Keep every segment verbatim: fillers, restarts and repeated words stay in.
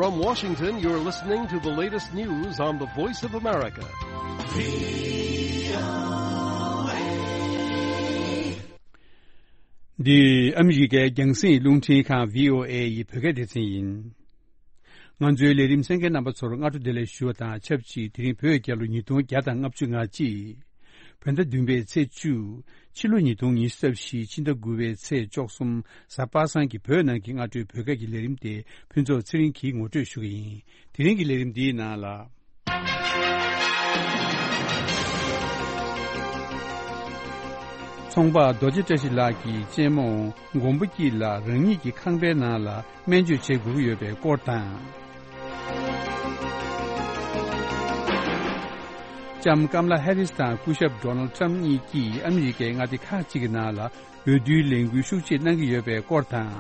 From Washington, you're listening to the latest news on the Voice of America. འདི་ཨ་མི་རི་ཀའི་རྒྱང་སྲིང་རླུང་འཕྲིན་ཁང་བྷི་ཨོ་ཨེ་ཡི་བོད་སྐད་སྡེ་ཚན་ཡིན། ང་ཚོའི་ལས་རིམ་གསན་མཁན་རྣམ་པ་ཚོར་སྔ་དྲོ་བདེ་ལེགས་ཞུ་བ་དང་ཆབས་ཅིག་དེ་རིང་བོད་རྒྱལ་ལོ་ཉིས་སྟོང་བརྒྱ་དང་ལྔ་བཅུ་ང་གཅིག་བོད་ཟླ་བདུན་པའི་ཚེས་བཅུ། ཕྱི་ལོ་ཉིས་སྟོང་ཉི་ཤུ་རྩ་བཞི་ཕྱི་ཟླ་དགུ་པའི་ཚེས་བཅུ་གསུམ། གཟའ་པ་སངས་ཀྱི་བོད་ནང་གི་སྔ་དྲོའི་བོད་སྐད་ཀྱི་ལས་རིམ་དེ་ཕུན་ཚོགས་ཚེ་རིང་གིས་ངོ་སྤྲོད་ཞུ་གི་ཡིན། དེ་རིང་གི་ལས་རིམ་འདིའི་ནང་ལ། ཚོང་པ་རྡོ་རྗེ་བཀྲ་ཤིས་ལགས་ཀྱི་གཅེན་མོ་མགོན་པོ་སྐྱིད་ལགས་རང་ཉིད་ཀྱི་ཁང་པའི་ནང་ལ་སྨན་བཅོས་བྱེད་དགོས་ཀྱི་ཡོད་པའི་སྐོར་དང་། ལྕམ་ཀམ་ལ་ཧེ་རིས་དང་སྐུ་ཞབས་ཌོ་ནལ་ཊམ་གཉིས་ཀྱིས་ཨ་མི་རི་ཀའི་མངའ་སྡེ་ཁག་ཅིག་གི་ནང་ལ་འོས་བསྡུའི་ལས་འགུལ་ཤུགས་ཆེ་གནང་གི་ཡོད་པའི་སྐོར་དང་།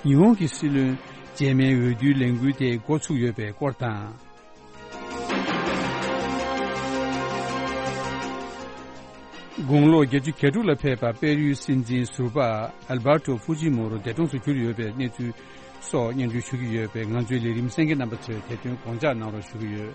ཉི་ཧོང་གི་སྲིད་བློན་རྗེས་མའི་འོས་བསྡུའི་ལས་འགུལ་དེ་འགོ་ཚུགས་ཡོད་པའི་སྐོར་དང་། དགུང་ལོ་བརྒྱད་ཅུ་གྱ་དྲུག་ལ་ཕེབས་པ་པེ་རུའི་སྲིད་འཛིན་ཟུར་པ་ཨལ་བར་ཏོ་ཧྥུ་ཇི་མོ་རོ་འདས་གྲོངས་སུ་གྱུར་ཡོད་པའི་གནས་ཚུལ་སོགས་སྙན་སྒྲོན་ཞུ་གི་ཡོད་པས། ང་ཚོའི་ལས་རིམ་གསན་མཁན་རྣམ་པ་ཚོས་དེ་དོན་དགོངས་འཇགས་གནང་རོགས་ཞུ་གི་ཡོད།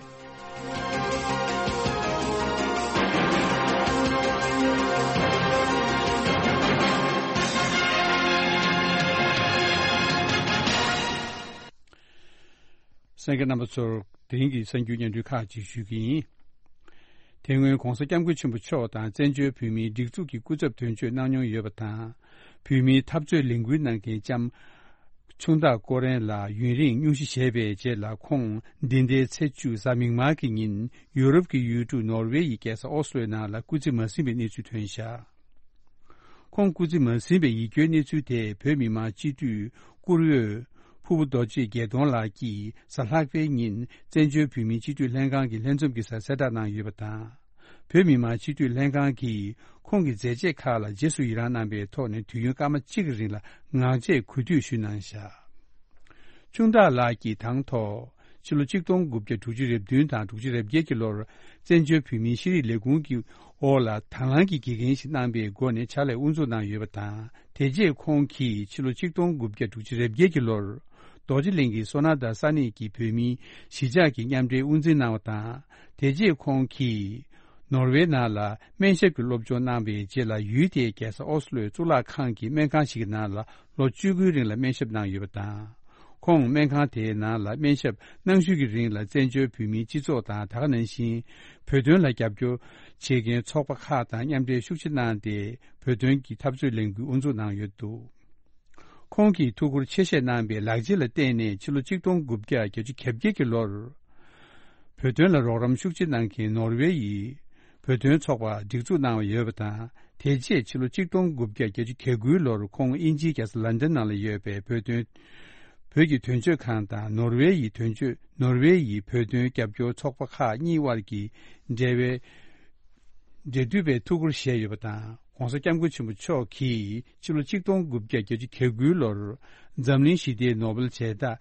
གསན་མཁན་རྣམ་པ་ཚོར་དེ་རིང་གི་གསར་འགྱུར་སྙན་སྒྲོན་ཁག་ཅིག་ཞུ་གི་ཡིན། དེ་སྔོན་༧གོང་ས་༧སྐྱབས་མགོན་ཆེན་པོ་མཆོག་དང་བཙན་བྱོལ་བོད་མིའི་སྒྲིག་འཛུགས་ཀྱི་སྐུ་ཚབ་དོན་གཅོད་གནང་མྱོང་ཡོད་པ་དང་། བོད་མིའི་འཐབ་རྩོད་ལས་འགུལ་གནང་མཁན་ལྕམ་ཆུང་བདག་ཀོ་རན་ལགས་ཡུན་རིང་སྙུང་གཞི་བཞེས་པའི་རྗེས་ལ། ཁོང་འདི་ཟླའི་ཚེས་བཅུ་གཟའ་མིག་དམར་གྱི་ཉིན་ཡུ་རོབ་ཀྱི་ཡུལ་གྲུ་ནོར་ཝེ་ཡི་རྒྱལ་ས་ཨོ་སི་ལོའི་ནང་ལ་སྐུ་ཚེ་མ་ཟིན་པའི་གནས་ཚུལ་ཐོན་བཞག་ཁོང་སྐུ་ཚེ་མ་ཟིན་པའི་ཡིད་སྐྱོའི་གནས་ཚུལ་དེ་བོད་མི་མང་སྤྱི་འཐུས་བཀུར་འོས་ཕུར་བུ་རྡོ་རྗེ་རྒྱལ་མཐོང་ལགས་ཀྱིས་གཟའ་ལྷག་པའི་ཉིན་བཙན་བྱོལ་བོད་མིའི་སྤྱི་འཐུས་ལྷན་ཁང་གི་ལྷན་འཛོམས་ཀྱི་སར་གསལ་བསྒྲགས་གནང་ཡོད་པ་དང་། བོད་མི་མང་སྤྱི་འཐུས་ལྷན་ཁང་གིས་ཁོང་གི་མཛད་རྗེས་ཁག་ལ་རྗེས་སུ་ཡི་རང་གནང་པའི་ཐོག་ནས་དུས་ཡུན་སྐར་མ་གཅིག་གི་རིང་ལ་ངག་བཅད་གུས་འདུད་ཞུས་གནང་བཞག་ཆུང་བདག་ལགས་ཀྱིས་དང་ཐོག་ཕྱི་ལོ་གཅིག་སྟོང་དགུ་བརྒྱ་དྲུག་ཅུ་རེ་བདུན་དང་དྲུག་ཅུ་རེ་བརྒྱད་ཀྱི་ལོར་བཙན་བྱོལ་བོད་མིའི་ཤེས་རིག་ལས་ཁུངས་ཀྱི་འོག་ལ་དང་བླངས་ཀྱི་དགེ་རྒན་ཞིག་གནང་པའི་སྒོ་ནས་ཕྱག་ལས་དབུ་འཛུགས་གནང་ཡོད་པ་དང་། དེ་རྗེས་ཁོང་གིས་ཕྱི་ལོ་གཅིག་སྟོང་དགུ་བརྒྱ་དྲུག་ཅུ་རེ་བརྒྱད་ཀྱི་ལོར་རྡོ་རྗེ་གླིང་གི་སོ་ན་དང་ས་གནས་ཀྱི་བོད་མིའི་གཞིས་ཆགས་ཀྱི་མཉམ་འབྲེལ་དབུ་འཛིན་གནང་བ་དང་། དེ་རྗེས་ཁོང་གིས་ནོར་ཝེ་ནང་ལ་སྨན་ཞབས་ཀྱི་སློབ་སྦྱོང་གནང་བའི་རྗེས་ལ་ཡུལ་དེའི་རྒྱལ་ས་ཨོ་སི་ལོའི་གཙུག་ལག་ཁང་གི་སྨན་ཁང་ཞིག་གི་ནང་ལ་ལོ་བཅུ་དགུའི་རིང་ལ་སྨན་ཞབས་གནང་ཡོད་པ་དང་། ཁོང་སྨན་ཁང་དེའི་ནང་ལ་སྨན་ཞབས་གནང་ཤུལ་གྱི་རིང་ལ་བཙན་བྱོལ་བོད་མིའི་སྤྱི་ཚོགས་དང་། ད་ག་ནང་བཞིན་བོད་དོན་ལ་རྒྱབ་སྐྱོར་བྱེད་མཁན་ཚོགས་པ་ཁག་དང་མཉམ་འབྲེལ་ཤུགས་ཆེ་གནང་སྟེ། བོད་དོན་གྱི་འཐབ་རྩོད་ལས་འགུལ་དབུ་འཛུགས་གནང་ཡོད་འདུག་ཁོང་གིས་ཐུགས་ཁུར་ཆེ་བཞེས་གནང་པའི་ལག་རྗེས་ལ་བརྟེན་ནས་ཕྱི་ལོ་གཅིག་སྟོང་དགུ་བརྒྱ་བརྒྱད་ཅུ་གྱ་བརྒྱད་ཀྱི་ལོར། བོད་དོན་ལ་རོགས་རམ་ཤུགས་ཆེ་གནང་མཁན་ནོར་ཝེ་ཡི་བོད་དོན་ཚོགས་པ་སྒྲིག་འཛུགས་གནང་བ་ཡོད་པ་དང་། དེ་རྗེས་ཕྱི་ལོ་གཅིག་སྟོང་དགུ་བརྒྱ་བརྒྱད་ཅུ་གྱ་དགུའི་ལོར་ཁོང་དབྱིན་ཇིའི་རྒྱལ་ས་ལན་ཌན་ནང་ལ་ཡོད་པའི་བོད་དོན་བོད་ཀྱི་དོན་གཅོད་ཁང་དང་ནོར་ཝེ་ཡི་དོན་གཅོད་ནོར་ཝེ་ཡི་བོད་དོན་རྒྱབ་སྐྱོར་ཚོགས་པ་ཁག་གཉིས་དབར་གྱི་འབྲེལ་བའི་འབྲེལ་མཐུད་པའི་ཐུགས་ཁུར་བཞེས་ཡོད་པ་དང་། ༸གོང་ས་༸སྐྱབས་མགོན་ཆེན་པོ་མཆོག་གིས་ཕྱི་ལོ་གཅིག་སྟོང་དགུ་བརྒྱ་བརྒྱད་ཅུ་གྱ་དགུའི་ལོར་འཛམ་གླིང་ཞི་བདེའི་ནོ་བེལ་བྱེ་བྲག་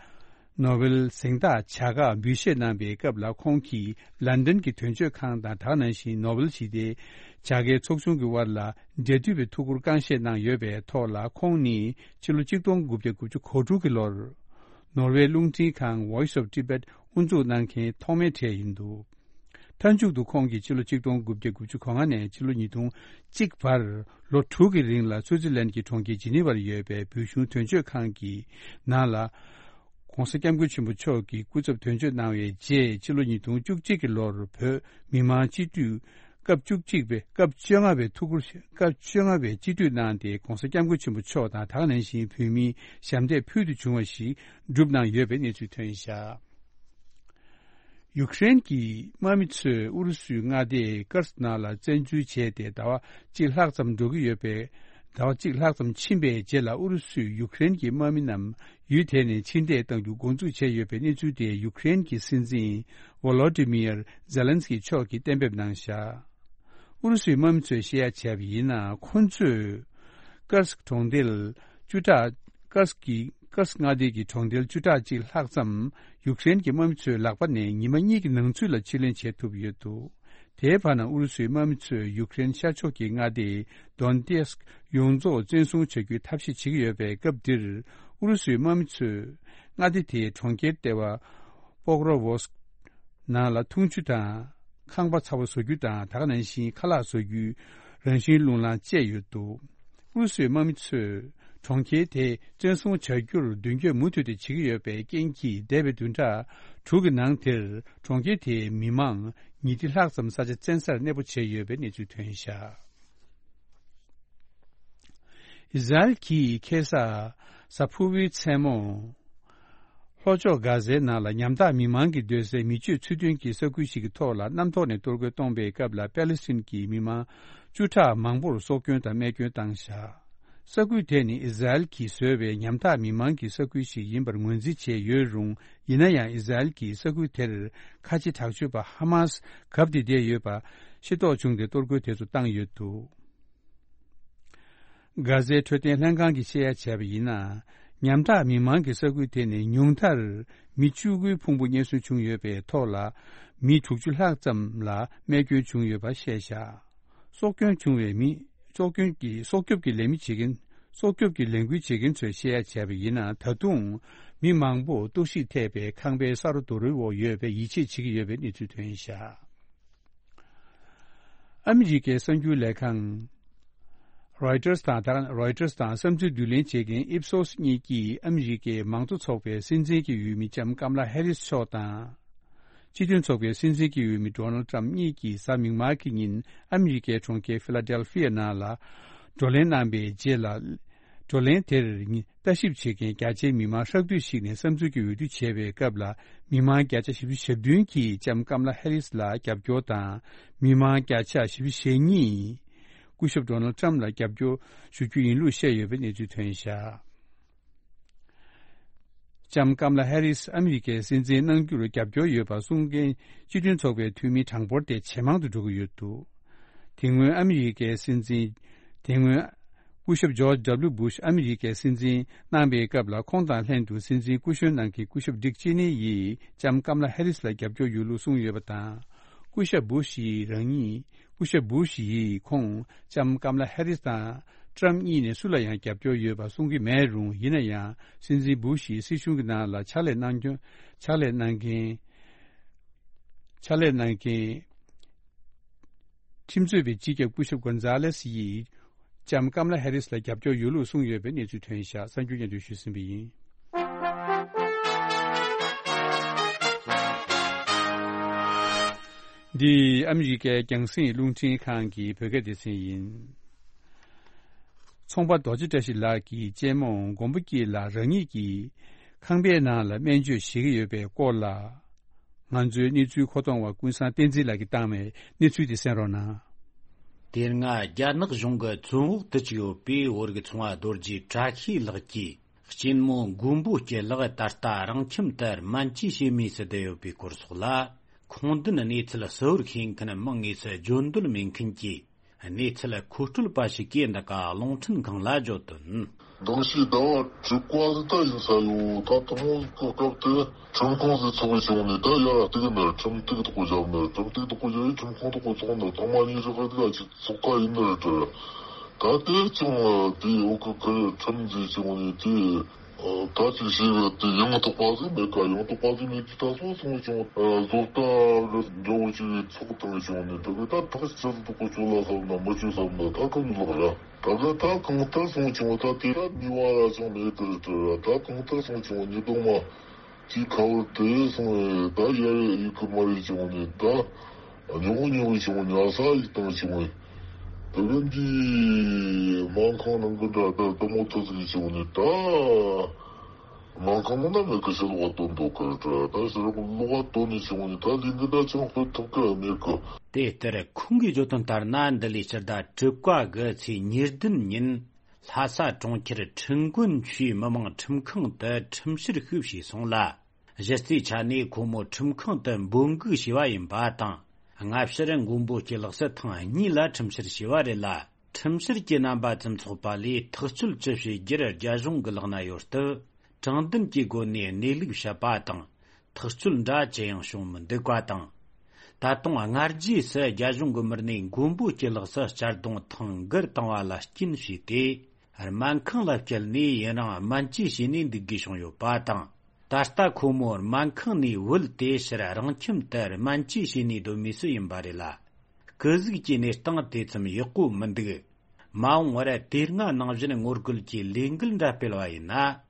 ནོ་བེལ་གཟེངས་རྟགས་བྱ་དགའ་འབུལ་བཞེས་གནང་པའི་སྐབས་ལ། ཁོང་གིས་ལན་ཌན་གྱི་དོན་གཅོད་ཁང་དང་། ད་ག་ནང་བཞིན་ནོ་བེལ་ཞི་བདེའི་བྱ་དགའི་ཚོགས་ཆུང་གི་དབར་ལ་འབྲེལ་མཐུད་པའི་ཐུགས་ཁུར་བསྐང་བཞེས་གནང་ཡོད་པའི་ཐོག་ལ། ཁོང་ནི་ཕྱི་ལོ་གཅིག་སྟོང་དགུ་བརྒྱ་དགུ་བཅུ་གོ་དྲུག་གི་ལོར་ནོར་ཝེ་རླུང་འཕྲིན་ཁང་Voice of Tibet དབུ་འཛུགས་གནང་མཁན་ཐོག་མའི་གྲས་ཡིན་འདུག་མཐའ་མཇུག་ཏུ་ཁོང་གིས་ཕྱི་ལོ་གཅིག་སྟོང་དགུ་བརྒྱ་དགུ་བཅུ་གོ་ལྔ་ནས་ཕྱི་ལོ་ཉིས་སྟོང་གཅིག་བར་ལོ་དྲུག་གི་རིང་ལ་སུའུ་ཙི་ལན་གྱི་གྲོང་ཁྱེར་ཇི་ནི་ཝར་ཡོད་པའི་བོད་གཞུང་དོན་གཅོད་ཁང་གི་ནང་ལ་༸གོང་ས་༸སྐྱབས་མགོན་ཆེན་པོ་མཆོག་གི་སྐུ་ཚབ་དོན་གཅོད་གནང་བའི་རྗེས། ཕྱི་ལོ་ཉིས་སྟོང་བཅུ་གཅིག་གི་ལོར་བོད་མི་མང་སྤྱི་འཐུས་སྐབས་བཅུ་གཅིག་པའི་སྐབས་བཅོ་ལྔ་པའི་ཐུགས་ཁུར་སྐབས་བཅོ་ལྔ་པའི་སྤྱི་འཐུས་གནང་སྟེ། ༸གོང་ས་༸སྐྱབས་མགོན་ཆེན་པོ་མཆོག་དང་། ད་ག་ནང་བཞིན་བོད་མིའི་ཞབས་འདེགས་ཕུལ་དུ་བྱུང་བ་ཞིག་བསྒྲུབས་གནང་ཡོད་པའི་གནས་ཚུལ་ཐོན་བཞག་ཡུཀ་རེན་གྱི་དམག་མི་ཚོས་ཨུ་རུ་སུའི་མངའ་སྡེ་ཀར་སི་ནང་ལ་བཙན་འཛུལ་བྱས་ཏེ་ཟླ་བ་གཅིག་ལྷག་ཙམ་འགྲོ་གི་ཡོད་པའི། ཟླ་བ་གཅིག་ལྷག་ཙམ་ཕྱིན་པའི་རྗེས་ལ། ཨུ་རུ་སུས་ཡུཀ་རེན་གྱི་དམག་མི་རྣམས་ཡུལ་དེ་ནས་ཕྱིར་འཐེན་གཏང་རྒྱུ་འགོ་འཛུགས་བྱས་ཡོད་པའི་གནས་ཚུལ་དེ་ཡུཀ་རེན་གྱི་སྲིད་འཛིན་ཝོ་ལོ་ཏི་མིར་ཛེ་ལན་སི་ཀི་མཆོག་གིས་གཏན་འབེབས་གནང་བཞག་ཨུ་རུ་སུའི་དམག་མི་ཚོས་བཤད་ཡ་བྱས་པ་ཡིན་ན། ཁོ་ཚོས་ཀར་སི་ཀི་གྲོང་རྡལ་བཅུ་ཕྲག་ཀར་སི་ཀི་ཀར་སི་ཀི་མངའ་སྡེ་གི་གྲོང་རྡལ་བཅུ་ཕྲག་གཅིག་ལྷག་ཙམ་ཡུཀ་རེན་གྱི་དམག་མི་ཚོའི་ལག་པ་ནས་ཉི་མ་གཉིས་ཀྱི་ནང་ཚུད་ལ་ཕྱིར་ལེན་བྱེད་ཐུབ་ཡོད་འདུག་དེའི་བར་ན་ཨུ་རུ་སུའི་དམག་མི་ཚོས་ཡུཀ་རེན་ཤར་ཕྱོགས་ཀྱི་མངའ་སྡེ་དོན་ཏེ་སི་ཡོངས་རྫོགས་བཙན་བཟུང་བྱ་རྒྱུའི་ཐབས་ཤེས་བྱེད་ཀྱི་ཡོད་པའི་སྐབས་འདིར། ཨུ་རུ་སུའི་དམག་མི་ཚོས་མངའ་སྡེ་དེའི་གྲོང་ཁྱེར་ལྟེ་བ་པོག་རོ་ཝོ་སི་ཀི་ནང་ལ་འཐུང་ཆུ་དང་ཁང་པ་ཚ་བོ་བཟོ་རྒྱུ་དང་། ད་ག་ནང་བཞིན་ཁ་ལག་བཟོ་རྒྱུའི་རང་བཞིན་རླུང་ལངས་བཅས་ཡོད་འདུག་ཨུ་རུ་སུའི་དམག་མི་ཚོས་གྲོང་ཁྱེར་དེ་བཙན་བཟུང་བྱ་རྒྱུར་མདུན་སྐྱོད་མུ་མཐུད་དུ་བྱེད་ཀྱི་ཡོད་པའི་རྐྱེན་གྱིས། འདས་པའི་བདུན་ཕྲག་དྲུག་གི་ནང་དེར་གྲོང་ཁྱེར་དེའི་མི་མང་ཉིས་ཁྲི་ལྷག་ཙམ་ས་ཆ་བཙན་སར་གནས་སྤོ་བྱས་ཡོད་པའི་གནས་ཚུལ་ཐོན་བཞག་ཨི་ཟ་རེལ་གྱིས་ཁ་སང་གཟའ་ཕུར་བུའི་མཚན་མོ། ལྷོ་ཕྱོགས་གྷ་ཟའི་ནང་ལ་ཉམ་ཐག་མི་མང་གི་སྡོད་སའི་མི་སྤྱོད་ཚུལ་མཐུན་གྱི་ས་ཁུལ་ཞིག་གི་ཐོག་ལ་གནམ་ཐོག་ནས་གཏོར་རྒོལ་གཏོང་པའི་སྐབས་ལ། པེ་ལི་སི་ཐན་གྱི་མི་མང་བཅུ་ཕྲག་མང་པོར་སྲོག་སྐྱོན་དང་རྨས་སྐྱོན་བཏང་བཞག་ས་ཁུལ་དེ་ནི་ཨི་ཟ་རེལ་གྱིས་བཟོས་པའི་ཉམ་ཐག་མི་མང་གི་ས་ཁུལ་ཞིག་ཡིན་པར་ངོས་འཛིན་བྱས་ཡོད་རུང་། ཡིན་ན་ཡང་ཨི་ཟ་རེལ་གྱིས་ས་ཁུལ་དེར་ཁ་ཆེ་དྲག་སྤྱོད་པ་ཧ་མ་སི་གབ་སྟེ་བསྡད་ཡོད་པ་ཤེས་རྟོགས་བྱུང་སྟེ། གཏོར་རྒོལ་དེ་ཚོ་བཏང་ཡོད་འདུག་གྷ་ཟའི་འཕྲོད་བསྟེན་ལྷན་ཁང་གིས་བཤད་ཡ་བྱས་པ་ཡིན་ན། ཉམ་ཐག་མི་མང་གི་ས་ཁུལ་དེ་ནི་ཉུང་མཐར་མི་བཅུ་དགུའི་ཕུང་པོ་རྙེད་སོན་བྱུང་ཡོད་པའི་ཐོག་ལ། མི་དྲུག་ཅུ་ལྷག་ཙམ་ལ་རྨས་སྐྱོན་བྱུང་ཡོད་པ་བཤད་བཞག་སྲོག་སྐྱོན་བྱུང་བའི་མི། སྲོག་སྐྱོན་གྱི་སྲོག་སྐྱོབ་ཀྱི་ལས་མི་བྱེད་མཁན། སྲོག་སྐྱོབ་ཀྱི་ལས་འགུལ་བྱེད་མཁན་ཚོས་བཤད་ཡ་བྱས་པ་ཡིན་ན། ད་དུང་མི་མང་པོ་གཏོར་བཤིག་ཐེབས་པའི་ཁང་པའི་ས་རོ་རྡོ་རོའི་འོག་ཡོད་པའི་ཡིད་ཆེས་བྱེད་ཀྱི་ཡོད་པའི་གནས་ཚུལ་ཐོན་བཞག་ཨ་མི་རི་ཀའི་གསར་འགྱུར་ལས་ཁང་རོའི་ཊར་དང་། ད་རོའི་ཊར་དང་བསམ་ཚུལ་བསྡུ་ལེན་བྱེད་མཁན་ཨིབ་སོ་སི་གཉིས་ཀྱིས་ཨ་མི་རི་ཀའི་མང་གཙོ་ཚོགས་པའི་སྲིད་འཛིན་གྱི་འོས་མི་ལྕམ་ཀམ་ལ་ཧེ་རིས་མཆོག་དང་། སྤྱི་མཐུན་ཚོགས་པའི་སྲིད་འཛིན་གྱི་འོས་མི་ཌོ་ནལ་ཏྲམ་གཉིས་ཀྱིས་གཟའ་མིག་དམར་གྱི་ཉིན་ཨ་མི་རི་ཀའི་གྲོང་ཁྱེར་ཕི་ལ་ཌེལ་ཕི་ཡ་ནང་ལ་བགྲོ་གླེང་གནང་བའི་རྗེས་ལ། བགྲོ་གླེང་དེར་ལྟ་ཞིབ་བྱེད་མཁན་རྒྱ་ཆེའི་མི་མང་ཧྲག་བསྡུས་ཤིག་ནས་བསམ་ཚུལ་གྱི་འོས་བསྡུ་བྱས་པའི་སྐབས་ལ། མི་མང་བརྒྱ་ཆ་བཞི་བཅུ་ཞེ་བདུན་གྱིས་ལྕམ་ཀམ་ལ་ཧེ་རིས་ལ་རྒྱབ་སྐྱོར་དང་། མི་མང་བརྒྱ་ཆ་བཞི་བཅུ་ཞེ་གཉིས་སྐུ་ཞབས་ཌོ་ནལ་ཏྲམ་ལ་རྒྱབ་སྐྱོར་ཞུ་རྒྱུ་ཡིན་ལུགས་བཤད་ཡོད་པའི་གནས་ཚུལ་ཐོན་བཞག་ལྕམ་ཀམ་ལ་ཧེ་རིས་ཨ་མི་རི་ཀའི་སྲིད་འཛིན་གནང་རྒྱུར་རྒྱབ་སྐྱོར་ཡོད་པ་གསུང་མཁན་སྤྱི་མཐུན་ཚོགས་པའི་འཐུས་མི་གྲངས་འབོར་དེ་ཇེ་མང་དུ་འགྲོ་གི་ཡོད་འདུག་དེ་སྔོན་ཨ་མི་རི་ཀའི་སྲིད་འཛིན། དེ་སྔོན་སྐུ་ཞབས་ཇོརྗ་ཌབ་ལིའུ་བུ་ཤ་ཨ་མི་རི་ཀའི་སྲིད་འཛིན་གནང་པའི་སྐབས་ལ། ཁོང་དང་ལྷན་དུ་སྲིད་འཛིན་སྐུ་གཞོན་གནང་མཁན་སྐུ་ཞབས་ཌིག་ཅེ་ནི་ཡིས་ལྕམ་ཀམ་ལ་ཧེ་རིས་ལ་རྒྱབ་སྐྱོར་ཡོད་ལུགས་གསུངས་ཡོད་པ་དང་། སྐུ་ཞབས་བུ་ཤ་ཡིས་རང་ཉིད། སྐུ་ཞབས་བུ་ཤ་ཡིས་ཁོང་ལྕམ་ཀམ་ལ་ཧེ་རིས་དང་ཏྲམ་གཉིས་ནས་སུ་ལ་ཡང་རྒྱབ་སྐྱོར་ཡོད་པ་གསུང་གི་མེད་རུང་། ཡིན་ན་ཡང་སྲིད་འཛིན་བུ་ཤ་ཡི་སྲིད་གཞུང་གི་ནང་ལ་ཕྱག་ལས་གནང་སྐྱོང་། ཕྱག་ལས་གནང་མཁན། ཕྱག་ལས་གནང་མཁན། ཁྲིམས་རྩོད་པའི་སྤྱི་ཁྱབ་སྐུ་ཞབས་གོན་ཛ་ལེ་སི་ཡིས་ལྕམ་ཀམ་ལ་ཧེ་རིས་ལ་རྒྱབ་སྐྱོར་ཡོད་ལུགས་གསུངས་ཡོད་པའི་གནས་ཚུལ་ཐོན་བཞག་གསར་འགྱུར་སྙན་སྒྲོན་ཞུས་ཟིན་པ་ཡིན། འདི་ཨ་མི་རི་ཀའི་རྒྱང་སྲིང་རླུང་འཕྲིན་ཁང་གི་བོད་སྐད་སྡེ་ཚན་ཡིན། ཚོང་པ་རྡོ་རྗེ་བཀྲ་ཤིས་ལགས་ཀྱི་གཅེན་མོ་མགོན་པོ་སྐྱིད་ལགས་རང་ཉིད་ཀྱི་ཁང་པའི་ནང་ལ་སྨན་བཅོས་བྱེད་ཀྱི་ཡོད་པའི་སྐོར་ལ། ང་ཚོའི་གནས་ཚུལ་མཁོ་གཏོང་བ་ཀུན་བཟང་བསྟན་འཛིན་ལགས་ཀྱིས་བཏང་བའི་གནས་ཚུལ་དེ་གསན་རོགས་གནང་། དེ་སྔ་རྒྱ་ནག་གཞུང་གི་བཙོན་འོག་ཏུ་བཅུག་ཡོད་པའི་བོད་ཀྱི་ཚོང་པ་རྡོ་རྗེ་བཀྲ་ཤིས་ལགས་ཀྱི་གཅེན་མོ་མགོན་པོ་སྐྱིད་ལགས་ད་ལྟ་རང་ཁྱིམ་དུ་སྨན་བཅོས་བྱེད་མུས་སུ་བསྡད་ཡོད་པའི་སྐོར་སོགས་ལ། ཁུངས་ལྡན་གནས་ཚུལ་གསལ་བོར་ཤེས་མཁན་མང་ངེས་སུ་བརྗོད་འདོད་མེད་མཁན་གྱི་གནས་ཚུལ་མཁོ་སྤྲོད་པ་ཞིག་གིས་འདི་ག་རླུང་འཕྲིན་ཁང་ལ་བརྗོད་དོན། མདང་ཕྱི་ཟླ་བ་དྲུག་པ་ཟིག་ད་ཡིན་ས་ཡོད། ད་དང་པོ་གི་སྐབས་དེ་ཁྲིམས་ཁང་ཟིག་ཚོགས་བྱུང་ནས། ད་ཡར་སྟེགས་ནས་ཁྲིམས་སྟེགས་དག་པོ་བཞག་ནས། ཁྲིམས་སྟེགས་དག་པོ་བཞག་ཡས་ཁྲིམས་ཁང་དག་པོ་ཚོགས་ནས། ཐོག་མ་ཉིད་རེ་ཁ་དེ་ཅིག་ཚོགས་ཁ་ཡིན་ནི་རེད་དྲ། ད་དེ་ཅང་དེའི་འོག་གི་ཁུར་ཁྲིམས་ཟིག་བྱུང་ནས་དེ། ད་ཅིག་བྱས་པ་དེ་ཡང་དག་པ་ཟིག་མེད་ཀ་ཡང་དག་པ་ཟིག་མེད་དུས། ད་སོ་སོང་བྱུང་། བཟོ་ལྟ་གི་འདྲ་བོ་ཅིག་ཚོགས་བཏང་བྱུང་ནས། དེ་གི་ད་ཐག་ཆོད་དག་པོ་ཆོད་ལ་བསམ་ན་མི་ཆོད་བསམ་ན། ད་གང་ལོག་ར། ད་གི་ད་གང་ལྟར་སོང་བྱུང་། ད་དེ་ད་ནུས་པ་ར་ཅང་མེད་དེ་རེད་དྲ། ད་གང་ལྟར་སོང་བྱུང་། ཉི་གདོང་མ་དེའི་ཁ་བར་དེ་སོང་བས། ད་ཡར་ཡི་གེ་མ་ཡི་བྱུང་ནས། ད་ཉོག་ཉོག་བྱུང་། ཉལ་ས་ཡིག་བཏང་བྱུང་བས། དེ་གི་འདི་མང་ཁང་ནང་གི་འདྲ་ད་དུ་མོ་ཐུ་ཟིག་བྱུང་ནས། ད་མང་ཁང་ནང་ན་མེད་གི། ཕྱི་ལོགས་བཏོན་འདུག་གི་དྲ། ད་ཕྱི་ལོགས་ལོགས་བཏོན་ནས་བྱུང་ནས། ད་ལས་འགུལ་ད་ཅང་སྤེལ་ཐུབ་གི་མེད་གི། དེ་ལྟར་ཁོང་གིས་བརྗོད་དོན་ལྟར་ན། འདི་ལོའི་སྤྱི་ཟླ་དྲུག་པ་གི་ཚེས་ཉེར་བདུན་ཉིན་ལྷ་ས་གྲོང་ཁྱེར་ཁྲིན་ཀོན་ཆུས་མི་དམངས་ཁྲིམས་ཁང་དུ་ཁྲིམས་བཤེར་ཞིག་བྱས་སོང་ལ། གཞི་རྩའི་ཆ་ནས་ཁོ་མོ་ཁྲིམས་ཁང་དུ་འབོད་འགུག་བྱས་པ་ཡིན་པ་དང་། སྔ་ཕྱིར་མགོན་པོ་སྐྱིད་ལགས་སུ་ཐེངས་གཉིས་ལ་ཁྲིམས་བཤེར་བྱས་པ་རེད་ལ། ཁྲིམས་བཤེར་གྱི་རྣམ་པ་ཙམ་ཚོགས་པ་ལས་ཐག་གཅོད་ཅི་བྱེད་རྒྱུར་རྒྱ་གཞུང་གི་ལག་ན་ཡོད་སྟབས། དྲང་བདེན་གྱི་སྒོ་ནས་གནས་ལུགས་བཤད་པ་དང་། ཐག་གཅོད་འདྲ་ཅི་ཡང་བྱུང་མི་འདུག་པ་དང་། ད་དུང་སྔ་རྗེས་སུ་རྒྱ་གཞུང་གི་མི་སྣས་མགོན་པོ་སྐྱིད་ལགས་སུ་གཅར་རྡུང་ཐེངས་འགར་བཏང་བ་ལ་རྐྱེན་བྱས་ཏེ། སྨན་ཁང་ལ་བསྐྱལ་ནས་ཡུན་རིང་སྨན་བཅོས་བྱས་ནས་འདུག་དགོས་བྱུང་ཡོད་པ་དང་། ད་ལྟ་ཁོ་མོ་སྨན་ཁང་ནས་བུད་དེ་ཕྱིར་རང་ཁྱིམ་དུ་སྨན་བཅོས་བྱས་ནས་སྡོད་མུས་སུ་ཡིན་པ་རེད་ལ། སྐུ་གཟུགས་ཀྱི་གནས་སྟངས་དེ་ཙམ་ཡག་པོ་མི་འདུག། མ་འོངས་པར་དེ་སྔ་ནང་བཞིན་ངོ་རྒོལ་གྱི་ལས་འགུལ་འདྲ་སྤེལ་བ་ཡིན་ན།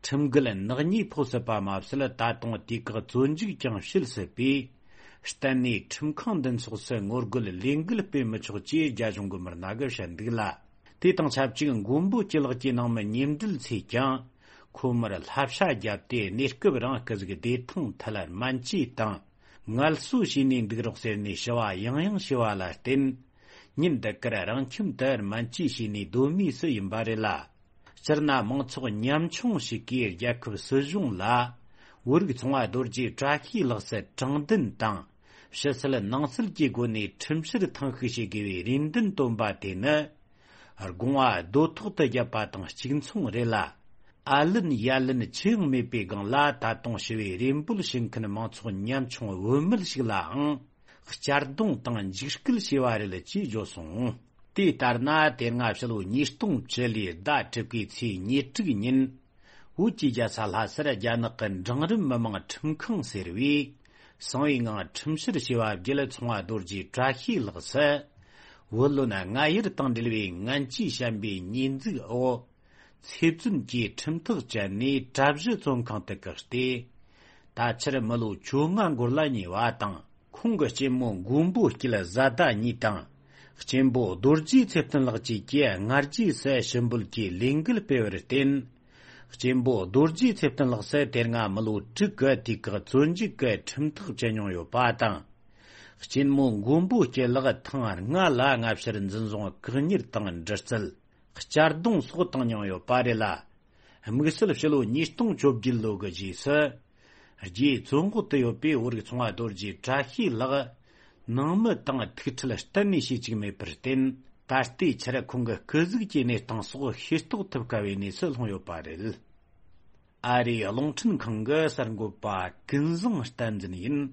ཁྲིམས་འགལ་ནག་ཉེས་ཕོག་སྲིད་པ་མ་ཟད། ད་དུང་དུས་བཀག་བཙོན་འཇུག་ཀྱང་བྱེད་སྲིད་པས། གཏན་ནས་ཁྲིམས་ཁང་འདི་ཚོགས་སུ་ངོ་རྒོལ་ལས་འགུལ་སྤེལ་མི་ཆོག་ཅེས་རྒྱ་གཞུང་གི་མི་སྣ་གིས་བཤད་འདུག་ལ། དེ་དང་ཆབས་ཅིག་མགོན་པོ་སྐྱིད་ལགས་ཀྱི་ནང་མི་ཉེ་འབྲེལ་ཚོས་ཀྱང་། ཁོ་མོར་བསླབ་བྱ་བརྒྱབ་སྟེ། གནས་སྐབས་རིང་སྐུ་གཟུགས་བདེ་ཐང་ཐད་སྨན་བཅོས་དང་། ངལ་གསོ་བྱས་ནས་འདུག་རོགས་ཟེར་ནས་ཞུ་བ་ཡང་ཡང་བྱས་པ་ལ་བརྟེན། ཉིན་འདི་གར་རང་ཁྱིམ་དུ་སྨན་བཅོས་བྱས་ནས་སྡོད་མུས་སུ་ཡིན་པ་རེད་ལ། སྤྱིར་ན་མང་ཚོགས་ཉམ་ཆུང་ཞིག་གིས་རྒྱལ་ཁབ་སྲིད་གཞུང་ལ། བོད་རིགས་ཚོང་པ་རྡོ་རྗེ་བཀྲ་ཤིས་ལགས་སུ་དྲང་བདེན་དང་། ཕྱི་སེལ་ནང་སེལ་གྱི་སྒོ་ནས་ཁྲིམས་བཤེར་ཐེངས་ཤིག་བྱེད་དགོས་པའི་རེ་འདུན་བཏོན་པ་དེ་ནི། དགོངས་པ་རྡོ་ཐོག་ཏུ་བརྒྱབ་པ་དང་གཅིག་མཚུངས་རེད་ལ། ཨ་ལན་ཡ་ལན་ཅི་ཡང་མེད་པའི་སྒང་ལ། ད་དུང་ཞི་བའི་རེ་འབོད་བྱེད་མཁན་མང་ཚོགས་ཉམ་ཆུང་བུད་མེད་ཞིག་ལའང་གཅར་རྡུང་དང་འཇིགས་སྐུལ་བྱས་པ་རེད་ཅེས་བརྗོད་སོང་། དེ་ལྟར་ན། དེ་སྔ་ཕྱི་ལོ་ཉིས་སྟོང་བཅུ་ལོའི་ཟླ་དྲུག་པའི་ཚེས་ཉེར་དྲུག་ཉིན། བོད་ཀྱི་རྒྱལ་ས་ལྷ་སར་རྒྱ་ནག་གི་འབྲིང་རིམ་མི་དམངས་ཁྲིམས་ཁང་ཟེར་བས། གསང་བའི་ངང་ཁྲིམས་བཤེར་བྱས་པ་བརྒྱུད། ཚོང་པ་རྡོ་རྗེ་བཀྲ་ཤིས་ལགས་སུ། བུ་ལོན་སྔ་གཡེར་དང་འབྲེལ་བའི་ངན་ཇུས་བཤད་པའི་ཉེས་འཛུགས་འོག། ཚེ་བཙོན་གྱི་ཁྲིམས་ཐག་བཅད་ནས། གྲྭ་བཞི་བཙོན་ཁང་དུ་བཀག་སྟེ། ད་ཆར་མི་ལོ་བཅོ་ལྔ་འགོར་ལ་ཉེ་བ་དང་། ཁོང་གི་གཅེན་མོ་མགོན་པོ་སྐྱིད་བཟའ་ཟླ་གཉིས་དང་། གཅེན་པོ་རྡོ་རྗེ་ཚེ་བརྟན་ལགས་བཅས་ཀྱིས་སྔ་རྗེས་སུ་ཞུ་འབོད་ཀྱི་ལས་འགུལ་སྤེལ་བར་བརྟེན། གཅེན་པོ་རྡོ་རྗེ་ཚེ་བརྟན་ལགས་སུ་དེ་སྔ་མི་ལོ་དྲུག་གི་དུས་བཀག་བཙོན་འཇུག་གི་ཁྲིམས་ཐག་བཅད་མྱོང་ཡོད་པ་དང་། གཅེན་མོ་མགོན་པོ་སྐྱིད་ལགས་ཐེངས་ལྔ་ལ་སྔ་ཕྱིར་འཛིན་བཟུང་། བཀག་ཉར་དང་འདྲི་རྩད། གཅར་རྡུང་སོགས་བཏང་མྱོང་ཡོད་པ་རེད་ལ། དམིགས་བསལ་ཕྱི་ལོ་ཉིས་སྟོང་བཅོ་བརྒྱད་ལོ་གི་རྗེས་སུ། རྒྱའི་བཙོན་འོག་ཏུ་ཡོད་པའི་བོད་རིགས་ཚོང་པ་རྡོ་རྗེ་བཀྲ་ཤིས་ལགས། ནང་མི་དང་ཐུག་འཕྲད་གཏན་ནས་བྱེད་བཅུག་མེད་པར་བརྟེན། ད་ལྟའི་ཆར་ཁོང་གི་སྐུ་གཟུགས་ཀྱི་གནས་སྟངས་སོགས་ཤེས་རྟོགས་ཐུབ་དཀའ་བའི་གནས་སུ་ལྷུང་ཡོད་པ་རེད། ཨ་རིའི་རླུང་འཕྲིན་ཁང་གི་གསར་འགོད་པ་ཀུན་བཟང་བསྟན་འཛིན་ཡིན།